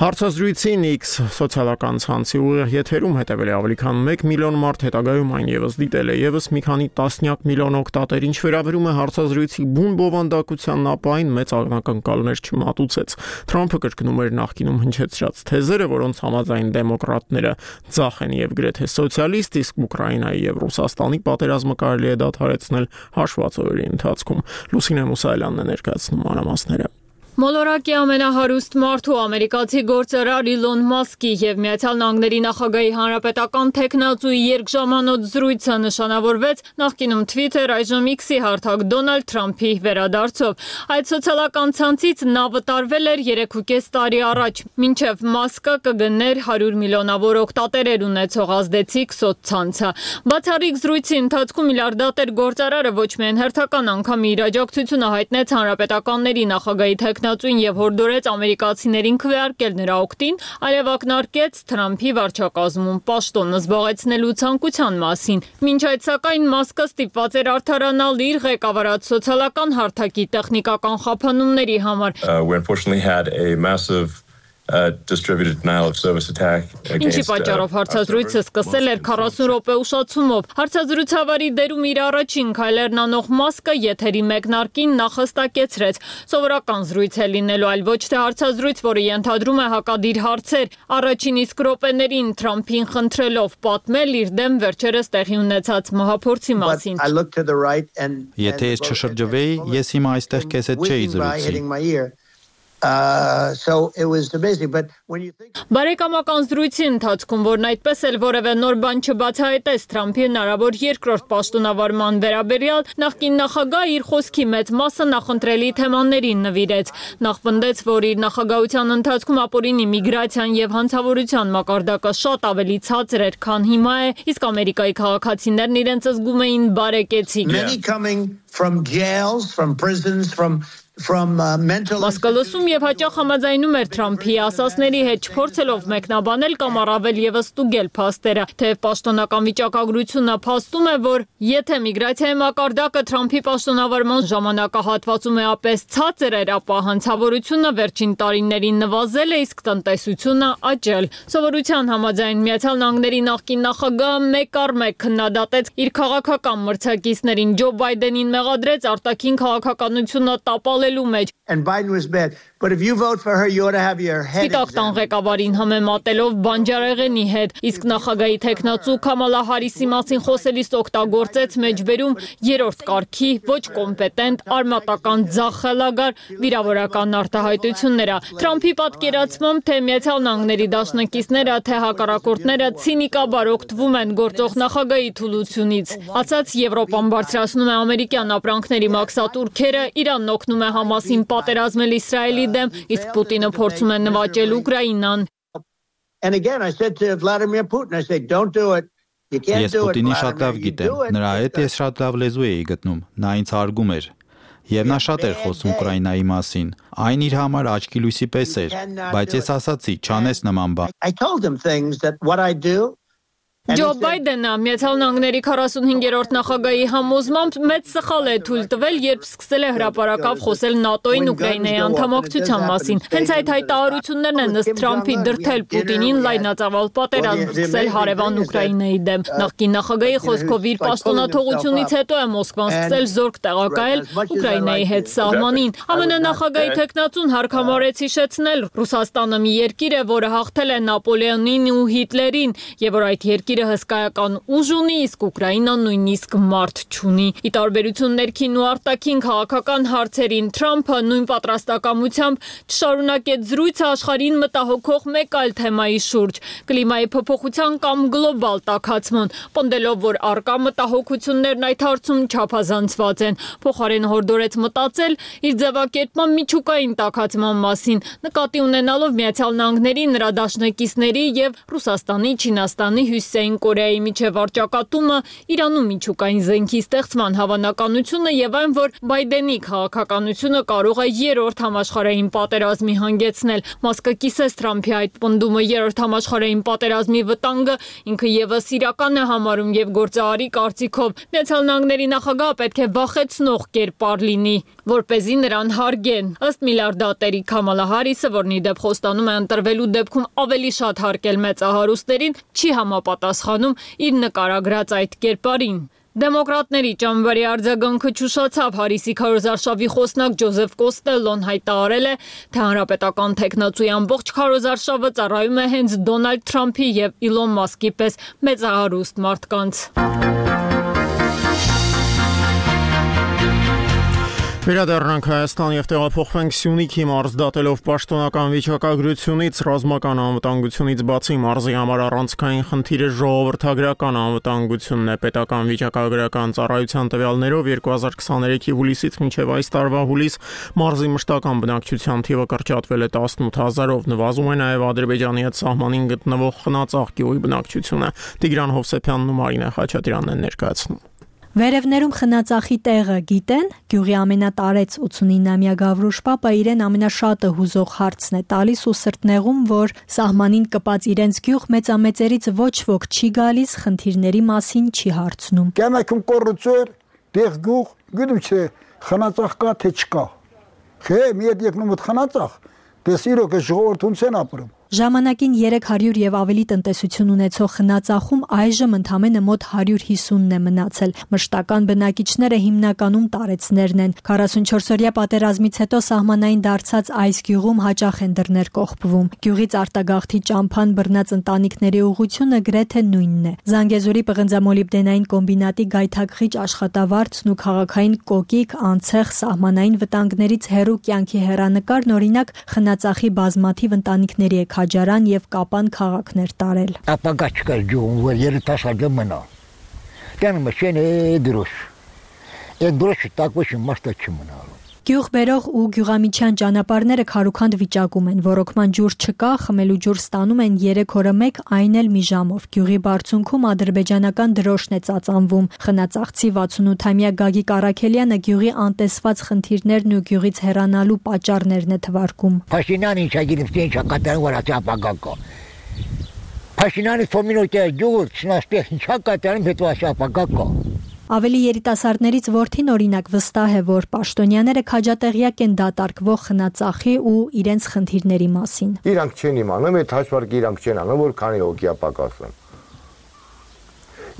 Հարցազրույցին X սոցիալական ցանցի ուղիղ եթերում հետևել է ավելի քան մեկ միլիոն մարդ, հետագայում այն եւս դիտել է եւս մի քանի տասնյակ միլիոն օգտատեր, ինչ վերաբերում է հարցազրույցի բուն բովանդակության ապային մեծ ակնկալներ չմատուցեց։ Թրամփը կրկնում էր նախկինում հնչեցրած թեզերը, որոնց համաձայն դեմոկրատները ձախ են եւ գրեթե սոցիալիստ, իսկ Ուկրաինայի եւ Ռուսաստանի պատերազմը կարելի է դադարեցնել հաշված օրերի ընթացքում։ Լուսինե Մուսայելյանն է ներկայացնում մանրամասները։ Մոլորակի ամենահարուստ մարդու ամերիկացի գործարար Իլոն Մասկի եւ Միացյալ Նահանգների նախագահի հանրապետական տեխնացուի երկժամանոց զրույցը նշանավորվեց նախկինում Twitter, այժմ X-ի հարթակ Դոնալդ Թրամփի վերադարձով։ Այդ սոցիալական ցանցից նա վտարվել էր երեք ու կես տարի առաջ, մինչև Մասկը կգներ հարյուր միլիոնավոր օգտատերեր ունեցող ազդեցիկ սոցցանցը։ Բացառիկ զրույցի ընթացքում միլիարդատեր գործարարը ոչ միայն հերթական անգամ իր աջակցությունը հայտնեց հանրապետականների նախագահի տեխնացուին եւ հորդորեց ամերիկացիներին քվեարկել նրա օգտին, այլև ակնարկեց Թրամփի վարչակազմում պաշտոնը զբաղեցնելու ցանկության մասին։ Մինչ այդ սակայն Մասկը ստիպված էր արդարանալ իր ղեկավարած սոցիալական հարթակի տեխնիկական խափանումների համար։ Uh, we unfortunately had a massive Uh, distributed denial of service attack Ինչի պատճառով հարցազրույցը սկսել էր քառասուն րոպե ուշացումով։ Հարցազրույցավարի դերում իր առաջին քայլերն անող Մասկը եթերի մեկնարկին նախհստակեցրեց. Սովորական զրույց է լինելու, այլ ոչ թե հարցազրույց, որը ենթադրում է հակադիր հարցեր։ Առաջին իսկ րոպեներին Թրամփին խնդրելով պատմել իր դեմ վերջերս տեղի ունեցած մահափորձի մասին։ Եթե ես չշրջվեի, ես հիմա այստեղ քեզ հետ չէի զրուցի։ Uh, so it was amazing, but when you think Բարեկամական զրույցի ընթացքում, որն այդպես էլ որևէ նոր բան չբացահայտեց Թրամփի հնարավոր երկրորդ պաշտոնավարման վերաբերյալ, նախկին նախագահ իր խոսքի մեծ մասը նախընտրելի թեմաներին նվիրեց։ Նախ պնդեց, որ իր նախագահության ընթացքում ապօրինի միգրացիան եւ հանցավորության մակարդակը շատ ավելի ցածր էր, քան հիմա է, իսկ Ամերիկայի քաղաքացիներն իրենց զգում էին բարեկեցիկ։ Many coming from jails, from prisons, from from uh, mental Մասկալոսում եւ հաճախ համաձայնում էր Թրամփի ասասների հետ չփորձելով մեկնաբանել կամ առավել եւս ստուգել փաստերը, թեև պաշտոնական վիճակագրությունը փաստում է, որ եթե միգրացիայի մակարդակը Թրամփի պաշտոնավարման ժամանակահատվածում էապես ցածր էր, ապա հանցավորությունը վերջին տարիներին նվազել է, իսկ տնտեսությունը աճել։ Սովորության համաձայն Միացյալ Նահանգների նախկին նախագահը մեկ առ մեկ քննադատեց իր քաղաքական մրցակիցներին, Ջո Բայդենին մեղադրեց արտաքին քաղաքականությունը տապալ And Biden was bad. But if you vote for her, you ought to have your head Սպիտակ տան ղեկավարին համեմատելով բանջարեղենի հետ, իսկ նախագահի տեխնացու Քամալա Հարիսի մասին խոսելիս օգտագործեց մեջբերում երրորդ կարգի, ոչ կոմպետենտ, արմատական ձախ խելագար վիրավորական արտահայտությունները։ Թրամփի պատկերացմամբ թե Միացյալ Նահանգների դաշնակիցները, թե հակառակորդները ցինիկաբար օգտվում են գործող նախագահի թուլությունից։ Ասած Եվրոպան բարձրացնում է ամերիկյան ապրանքների մաքսատուրքերը, Իրանն օգնում է Համասին պատերազմել Իսրայելի դեմ, իսկ Պուտինը փորձում է նվաճել Ուկրաինան։ And again I said to Vladimir Putin, I said don't do it. You can't Ես do it. Պուտինի շատ լավ գիտեմ, նրա հետ ես շատ լավ լեզու էի գտնում, նա ինձ հարգում էր։ Եվ նա շատ էր խոսում Ուկրաինայի մասին։ Այն իր համար աչքի լույսի պես էր, բայց ես ասացի, չանես նման բան։ I told him things that what I do Ջո Բայդենը Միացյալ Նահանգների քառասունհինգերորդ նախագահի համոզմամբ մեծ սխալ է թույլ տվել, երբ սկսել է հրապարակավ խոսել ՆԱՏՕ-ին Ուկրաինայի անդամակցության մասին։ Հենց այդ հայտարարություններն են ըստ Թրամփի դրդել Պուտինին լայնածավալ պատերազմ սկսել հարևան Ուկրաինայի դեմ։ Նախկին նախագահի խոսքով իր պաշտոնաթողությունից հետո է Մոսկվան սկսել զորք տեղակայել Ուկրաինայի հետ սահմանին։ ԱՄՆ նախագահի տեխնացուն հարկամարեց հիշեցնել Ռուսաստանը մի երկիր է, որը հաղթել է Նապոլեոնին ու Հիտլերին, եւ որ այդ երկիրը հսկայական ուժ ունի, իսկ Ուկրաինան նույնիսկ մարդ չունի։ Ի տարբերություն ներքին ու արտաքին քաղաքական հարցերին Թրամփը նույն պատրաստակամությամբ չշարունակեց զրույցը աշխարհին մտահոգող մեկ այլ թեմայի շուրջ՝ կլիմայի փոփոխության կամ գլոբալ տաքացման, պնդելով, որ առկա մտահոգություններն այդ հարցում չափազանցված են։ Փոխարեն հորդորեց մտածել իր ձևակերպման միջուկային տաքացման մասին, նկատի ունենալով Միացյալ Նահանգների, նրա դաշնակիցների եւ Ռուսաստանի, Չինաստանի, Հյուսիսային Կորեայի միջև առճակատումը, Իրանում միջուկային զենքի ստեղծման հավանականությունը եւ այն, որ Բայդենի քաղաքականությունը կարող է երրորդ համաշխարհային պատերազմի հանգեցնել։ Մասկը կիսեց Թրամփի այդ պնդումը երրորդ համաշխարհային պատերազմի վտանգը ինքը եւս իրական է համարում եւ գործարարի կարծիքով Միացյալ Նահանգների նախագահը պետք է վախեցնող կերպար լինի, որպեսզի նրան հարգեն։ Ըստ միլիարդատերի Քամալա Հարիսը, որն ի դեպ խոստանում է ընտրվելու դեպքում ավելի շատ հարգել մեծահարուստերին, չի համապատասխանում իր նկարագրած այդ կերպարին։ Դեմոկրատների ճամբարի արձագանքը չուշացավ։ Հարիսի քարոզարշավի խոսնակ Ջոզեֆ Կոստելլոն հայտարարել է, թե հանրապետական տեխնացուի ամբողջ քարոզարշավը ծառայում է հենց Դոնալդ Թրամփի եւ Իլոն Մասկի պես մեծահարուստ մարդկանց։ Վերադառնանք Հայաստան եւ տեղափոխվենք Սյունիքի մարզ, դատելով պաշտոնական վիճակագրությունից, ռազմական անվտանգությունից բացի մարզի համար առանցքային խնդիրը ժողովրդագրական անվտանգությունն է։ Պետական վիճակագրական ծառայության տվյալներով երկու հազար քսաներեքի հուլիսից մինչև այս տարվա հուլիս մարզի մշտական բնակչության թիվը կրճատվել է տասնութ հազարով, նվազում է նաեւ Ադրբեջանի հետ սահմանին գտնվող Խնածաղ գյուղի բնակչությունը։ Տիգրան Հովսեփյանն ու Մարինե Խաչատրյանն են ներկայացնում։ Վերևներում Խնածախի տեղը գիտեն, գյուղի ամենատարեց ութսունինամյա Գավրուշ պապը իրեն ամենաշատը հուզող հարցն է տալիս ու սրտնեղում, որ սահմանին կպած իրենց գյուղ մեծամեծերից ոչ ոք չի գալիս, խնդիրների մասին չի հարցնում։ Կամակում կոռուպցիա, դեղ գյուղ, գիտում չէ, Խնածախ կա թե չկա։ Չէ, մի հետ եկնում ըդ Խնածախ, Դες իրոք է ժողովրդում ցեն ապրում։ Ժամանակին երեք հարյուր եւ ավելի տնտեսություն ունեցող խնածախում այժմ ընդամենը մոտ հարյուր հիսունն է մնացել։ Մշտական բնակիչները հիմնականում տարեցներն են։ քառասունչորսօրյա պատերազմից հետո սահմանային դարձած այս գյուղում հաճախ են դռներ կողպվում։ Գյուղից արտագաղթի ճամփան բռնած ընտանիքների ուղղությունը գրեթե նույնն է։ Զանգեզուրի պղնձամոլիբդենային կոմբինատի գայթակղիչ աշխատավարձն ու քաղաքային կոկիկ, անցեղ, սահմանային վտանգներից հեռու կյանքի հեռանկարն օրինակ խնածախի բազմաթիվ ընտանիքների է քաջարան եւ կապան քաղաքներ տարել։ Ապագա չկար գյուղում, որ երիտասարդը մնա։ Տանը մշեն է դրոշ։ Այդ դրոշը տակվեշը մաստա չմնալու։ Գյուղ բերող ու գյուղամիջյան ճանապարհները քարուքանդ վիճակում են, ռոռոկման ջուր չկա, խմելու ջուր ստանում են երեք օրը մեկ, այն էլ մի ժամով։ Գյուղի բարձունքում ադրբեջանական դրոշն է ծածանվում։ Խնածաղցի վաթսունութամյա Գագիկ Առաքելյանը գյուղի անտեսված խնդիրներն ու գյուղից հեռանալու պատճառներն է թվարկում։ Փաշինյանը ինչա գիտեմ, թե ինչա կատարում, որ ասի ապագա կա։ Փաշինյանը ֆոմինոյտը գյուղը չնաստեղ ինչա կատարում, հետո ասի ապագա կա։ Ավելի երիտասարդներից որդին օրինակ վստահ է, որ պաշտոնյաները քաջատեղյակ են դատարկվող խնածախի ու իրենց խնդիրների մասին։ Իրանք չեն իմանում, այդ հաշվարկը իրանք չեն անում, որ քանի հոգի է պակասում։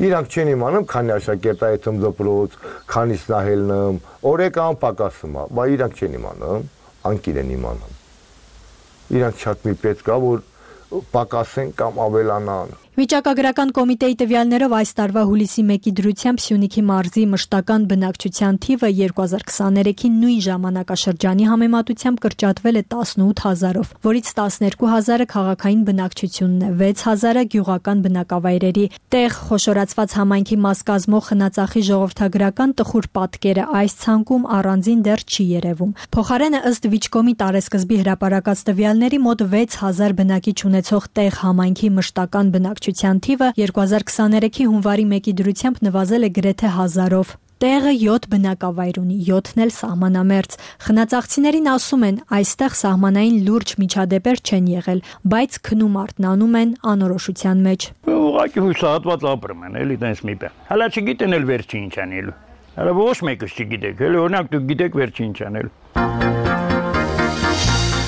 Իրանք չեն իմանում, քանի աշակերտայի թում դպրոց, քանից նահելնում, օրեկան պակասում է, բայց իրանք չեն իմանում, անկիր են իմանում։ Իրանք շատ մի պետք է, որ պակասեն կամ ավելանան։ Վիճակագրական կոմիտեի տվյալներով այս տարվա հուլիսի մեկի դրությամբ Սյունիքի մարզի մշտական բնակչության թիվը երկու հազար քսաներեքի նույն ժամանակաշրջանի համեմատությամբ կրճատվել է տասնութ հազարով, որից տասներկու հազարը քաղաքային բնակչությունն է, վեց հազարը գյուղական բնակավայրերի տեղ խոշորացված համայնքի մաս կազմող խնածախի ժողովրդագրական տխուր պատկերը այս ցանկում առանձին դեռ չի երևում։ Փոխարենը ըստ Վիճկոմի տարեսկզբի հրապարակած տվյալների մոտ վեց հազար բնակիչ ունեցող տեղ համայնքի մշտական բնակչության թիվը երկու հազար քսաներեքի հունվարի մեկի դրությամբ նվազել է գրեթե հազարով։ Տեղը յոթ բնակավայր ունի, յոթն էլ սահմանամերձ։ Խնածաղցիներին ասում են, այստեղ սահմանային լուրջ միջադեպեր չեն եղել, բայց քնում արթնանում են անորոշության մեջ։ Ուղղակի հուսահատված ապրում են, էլի տենց մի բան։ Հələ չգիտեն էլ վերջի ինչ անելու։ Հələ ոչ մեկը չգիտեք, էլի օրինակ դուք գիտեք վերջի ինչ անելու։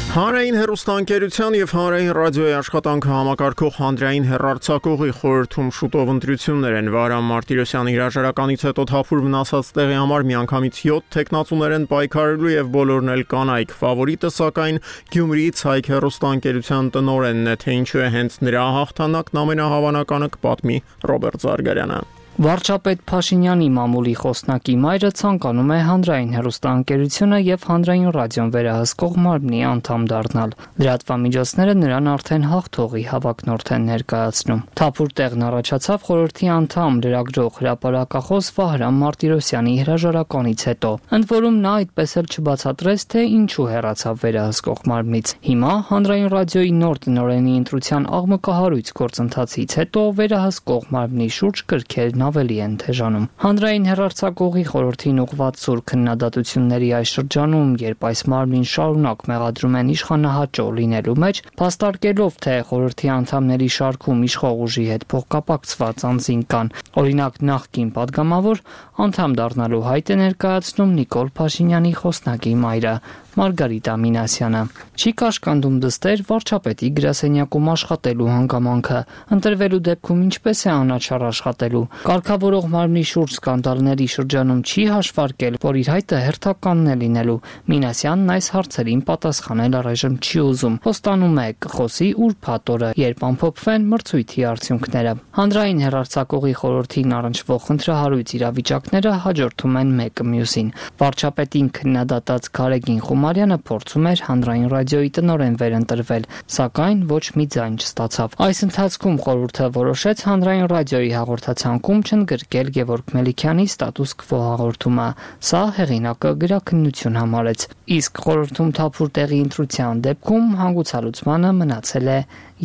Հանրային հեռուստաընկերության եւ հանրային ռադիոյի աշխատանքը համակարգող հանրային հեռարձակողի խորհրդում շուտով ընտրություններ են։ Վարամ Մարտիրոսյանի հրաժարականից հետո թափուր մնացած տեղի համար միանգամից յոթ տեխնացուներ են պայքարելու եւ բոլորն էլ կանայք։ Ֆավորիտը սակայն Գյումրիից Հայք հեռուստաընկերության տնօրենն է, թե ինչու է հենց նրա հաղթանակն ամենահավանականը կպատմի Ռոբերտ Զարգարյանը։ Վարչապետ Փաշինյանի մամուլի խոսնակի մայրը ցանկանում է հանրային հեռուստաընկերությունը եւ հանրային ռադիոն վերահսկող մարմնի անդամ դառնալ։ Լրատվամիջոցները նրան արդեն հաղթողի հավակնորդ են ներկայացնում։ Թափուր տեղն առաջացավ խորհրդի անդամ լրագրող հրապարակախոս Վահրամ Մարտիրոսյանի հրաժարականից հետո։ Ընդ որում նա այդպես էլ չբացատրեց, թե ինչու հեռացավ վերահսկող մարմնից։ Հիմա հանրային ռադիոյի նոր տնօրենի ընտրության աղմկահարույց գործընթացից հետո վերահսկող մարմնի շուրջ կրքերն ավելի են թեժանում։ Հանրային հեռարձակողի խորհրդին ուղղված սուր քննադատությունների այս շրջանում, երբ այս մարմնին շարունակ մեղադրում են իշխանահաճո լինելու մեջ, փաստարկելով, թե խորհրդի անդամների շարքում իշխող ուժի հետ փոխկապակցված անձին կան, օրինակ նախկին падգամավոր, անդամ դառնալու հայտ է ներկայացնում Նիկոլ Փաշինյանի խոսնակի մայրը Մարգարիտ Ամինասյանը։ Չի կաշկանդում դստեր վարչապետի գրասենյակում աշխատելու հանգամանքը, ընտրվելու դեպքում ինչպես է անաչառ աշխատելու։ Կարգավորող մարմնի շուրջ սկանդալների շրջանում չի հաշվարկել, որ իր հայտը հերթականն է լինելու։ Մինասյանն այս հարցերին պատասխանել առայժմ չի ուզում։ Խոստանում է կխոսի ուրբաթ օրը, երբ ամփոփվեն մրցույթի արդյունքները։ Հանրային հեռարձակողի խորհրդին առնչվող խնդրահարույց իրավիճակները հաջորդում են մեկը մյուսին։ Վարչապետին քննադատած Գարեգին Խումարյանը փորձում էր հանրային ռադիոյի տնօրեն վերընտրվել, սակայն ոչ մի ձայն չստացավ։ Այս ընթացքում խորհուրդը որոշեց հանրային ռադիոյի հաղորդացանկում չընդգրկել Գևորգ Մելիքյանի ստատուս քվո հաղորդումը։ Սա հեղինակը գրաքննություն համարեց։ Իսկ խորհրդում թափուր տեղի ընտրության դեպքում հանգուցալուծմանը մնացել է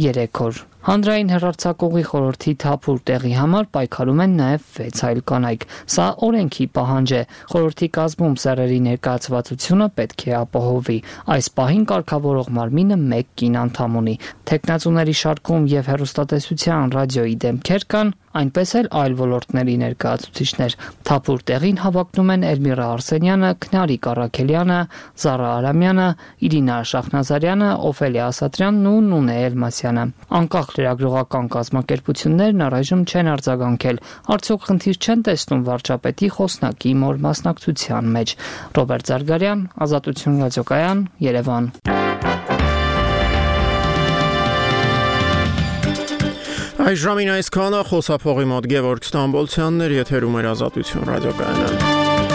երեք օր։ Հանրային հեռարձակողի խորհրդի թափուր տեղի համար պայքարում են նաև վեց այլ կանայք։ Սա օրենքի պահանջ է։ Խորհրդի կազմում սեռերի ներկայացվածությունը պետք է ապահովի։ Այս պահին կարգավորող մարմինը մեկ կին անդամ ունի։ Թեկնածուների շարքում եւ հեռուստատեսության ռադիոյի դեմքեր կան, այնպես էլ այլ ոլորտների ներկայացուցիչներ։ Թափուր տեղին հավակնում են Էլմիրա Արսենյանը, Քնարիկ Առաքելյանը, Զարա Արամյանը, Իրինա Շախնազարյանը, Օֆելիա Ասատրյանն ու Նունե Էլմասյանը։ Անկախ լրագրողական կազմակերպություններն առայժմ չեն արձագանքել, արդյոք խնդիր չեն տեսնում վարչապետի խոսնակի մոր մասնակցության մեջ։ Ռոբերտ Զարգարյան, Ազատություն ռադիոկայան, Երևան։ Այս ժամին այսքանը խոսափողի մոտ Գևորգ Ստամբոլցյանն էր, եթերում էր Ազատություն ռադիոկայանը։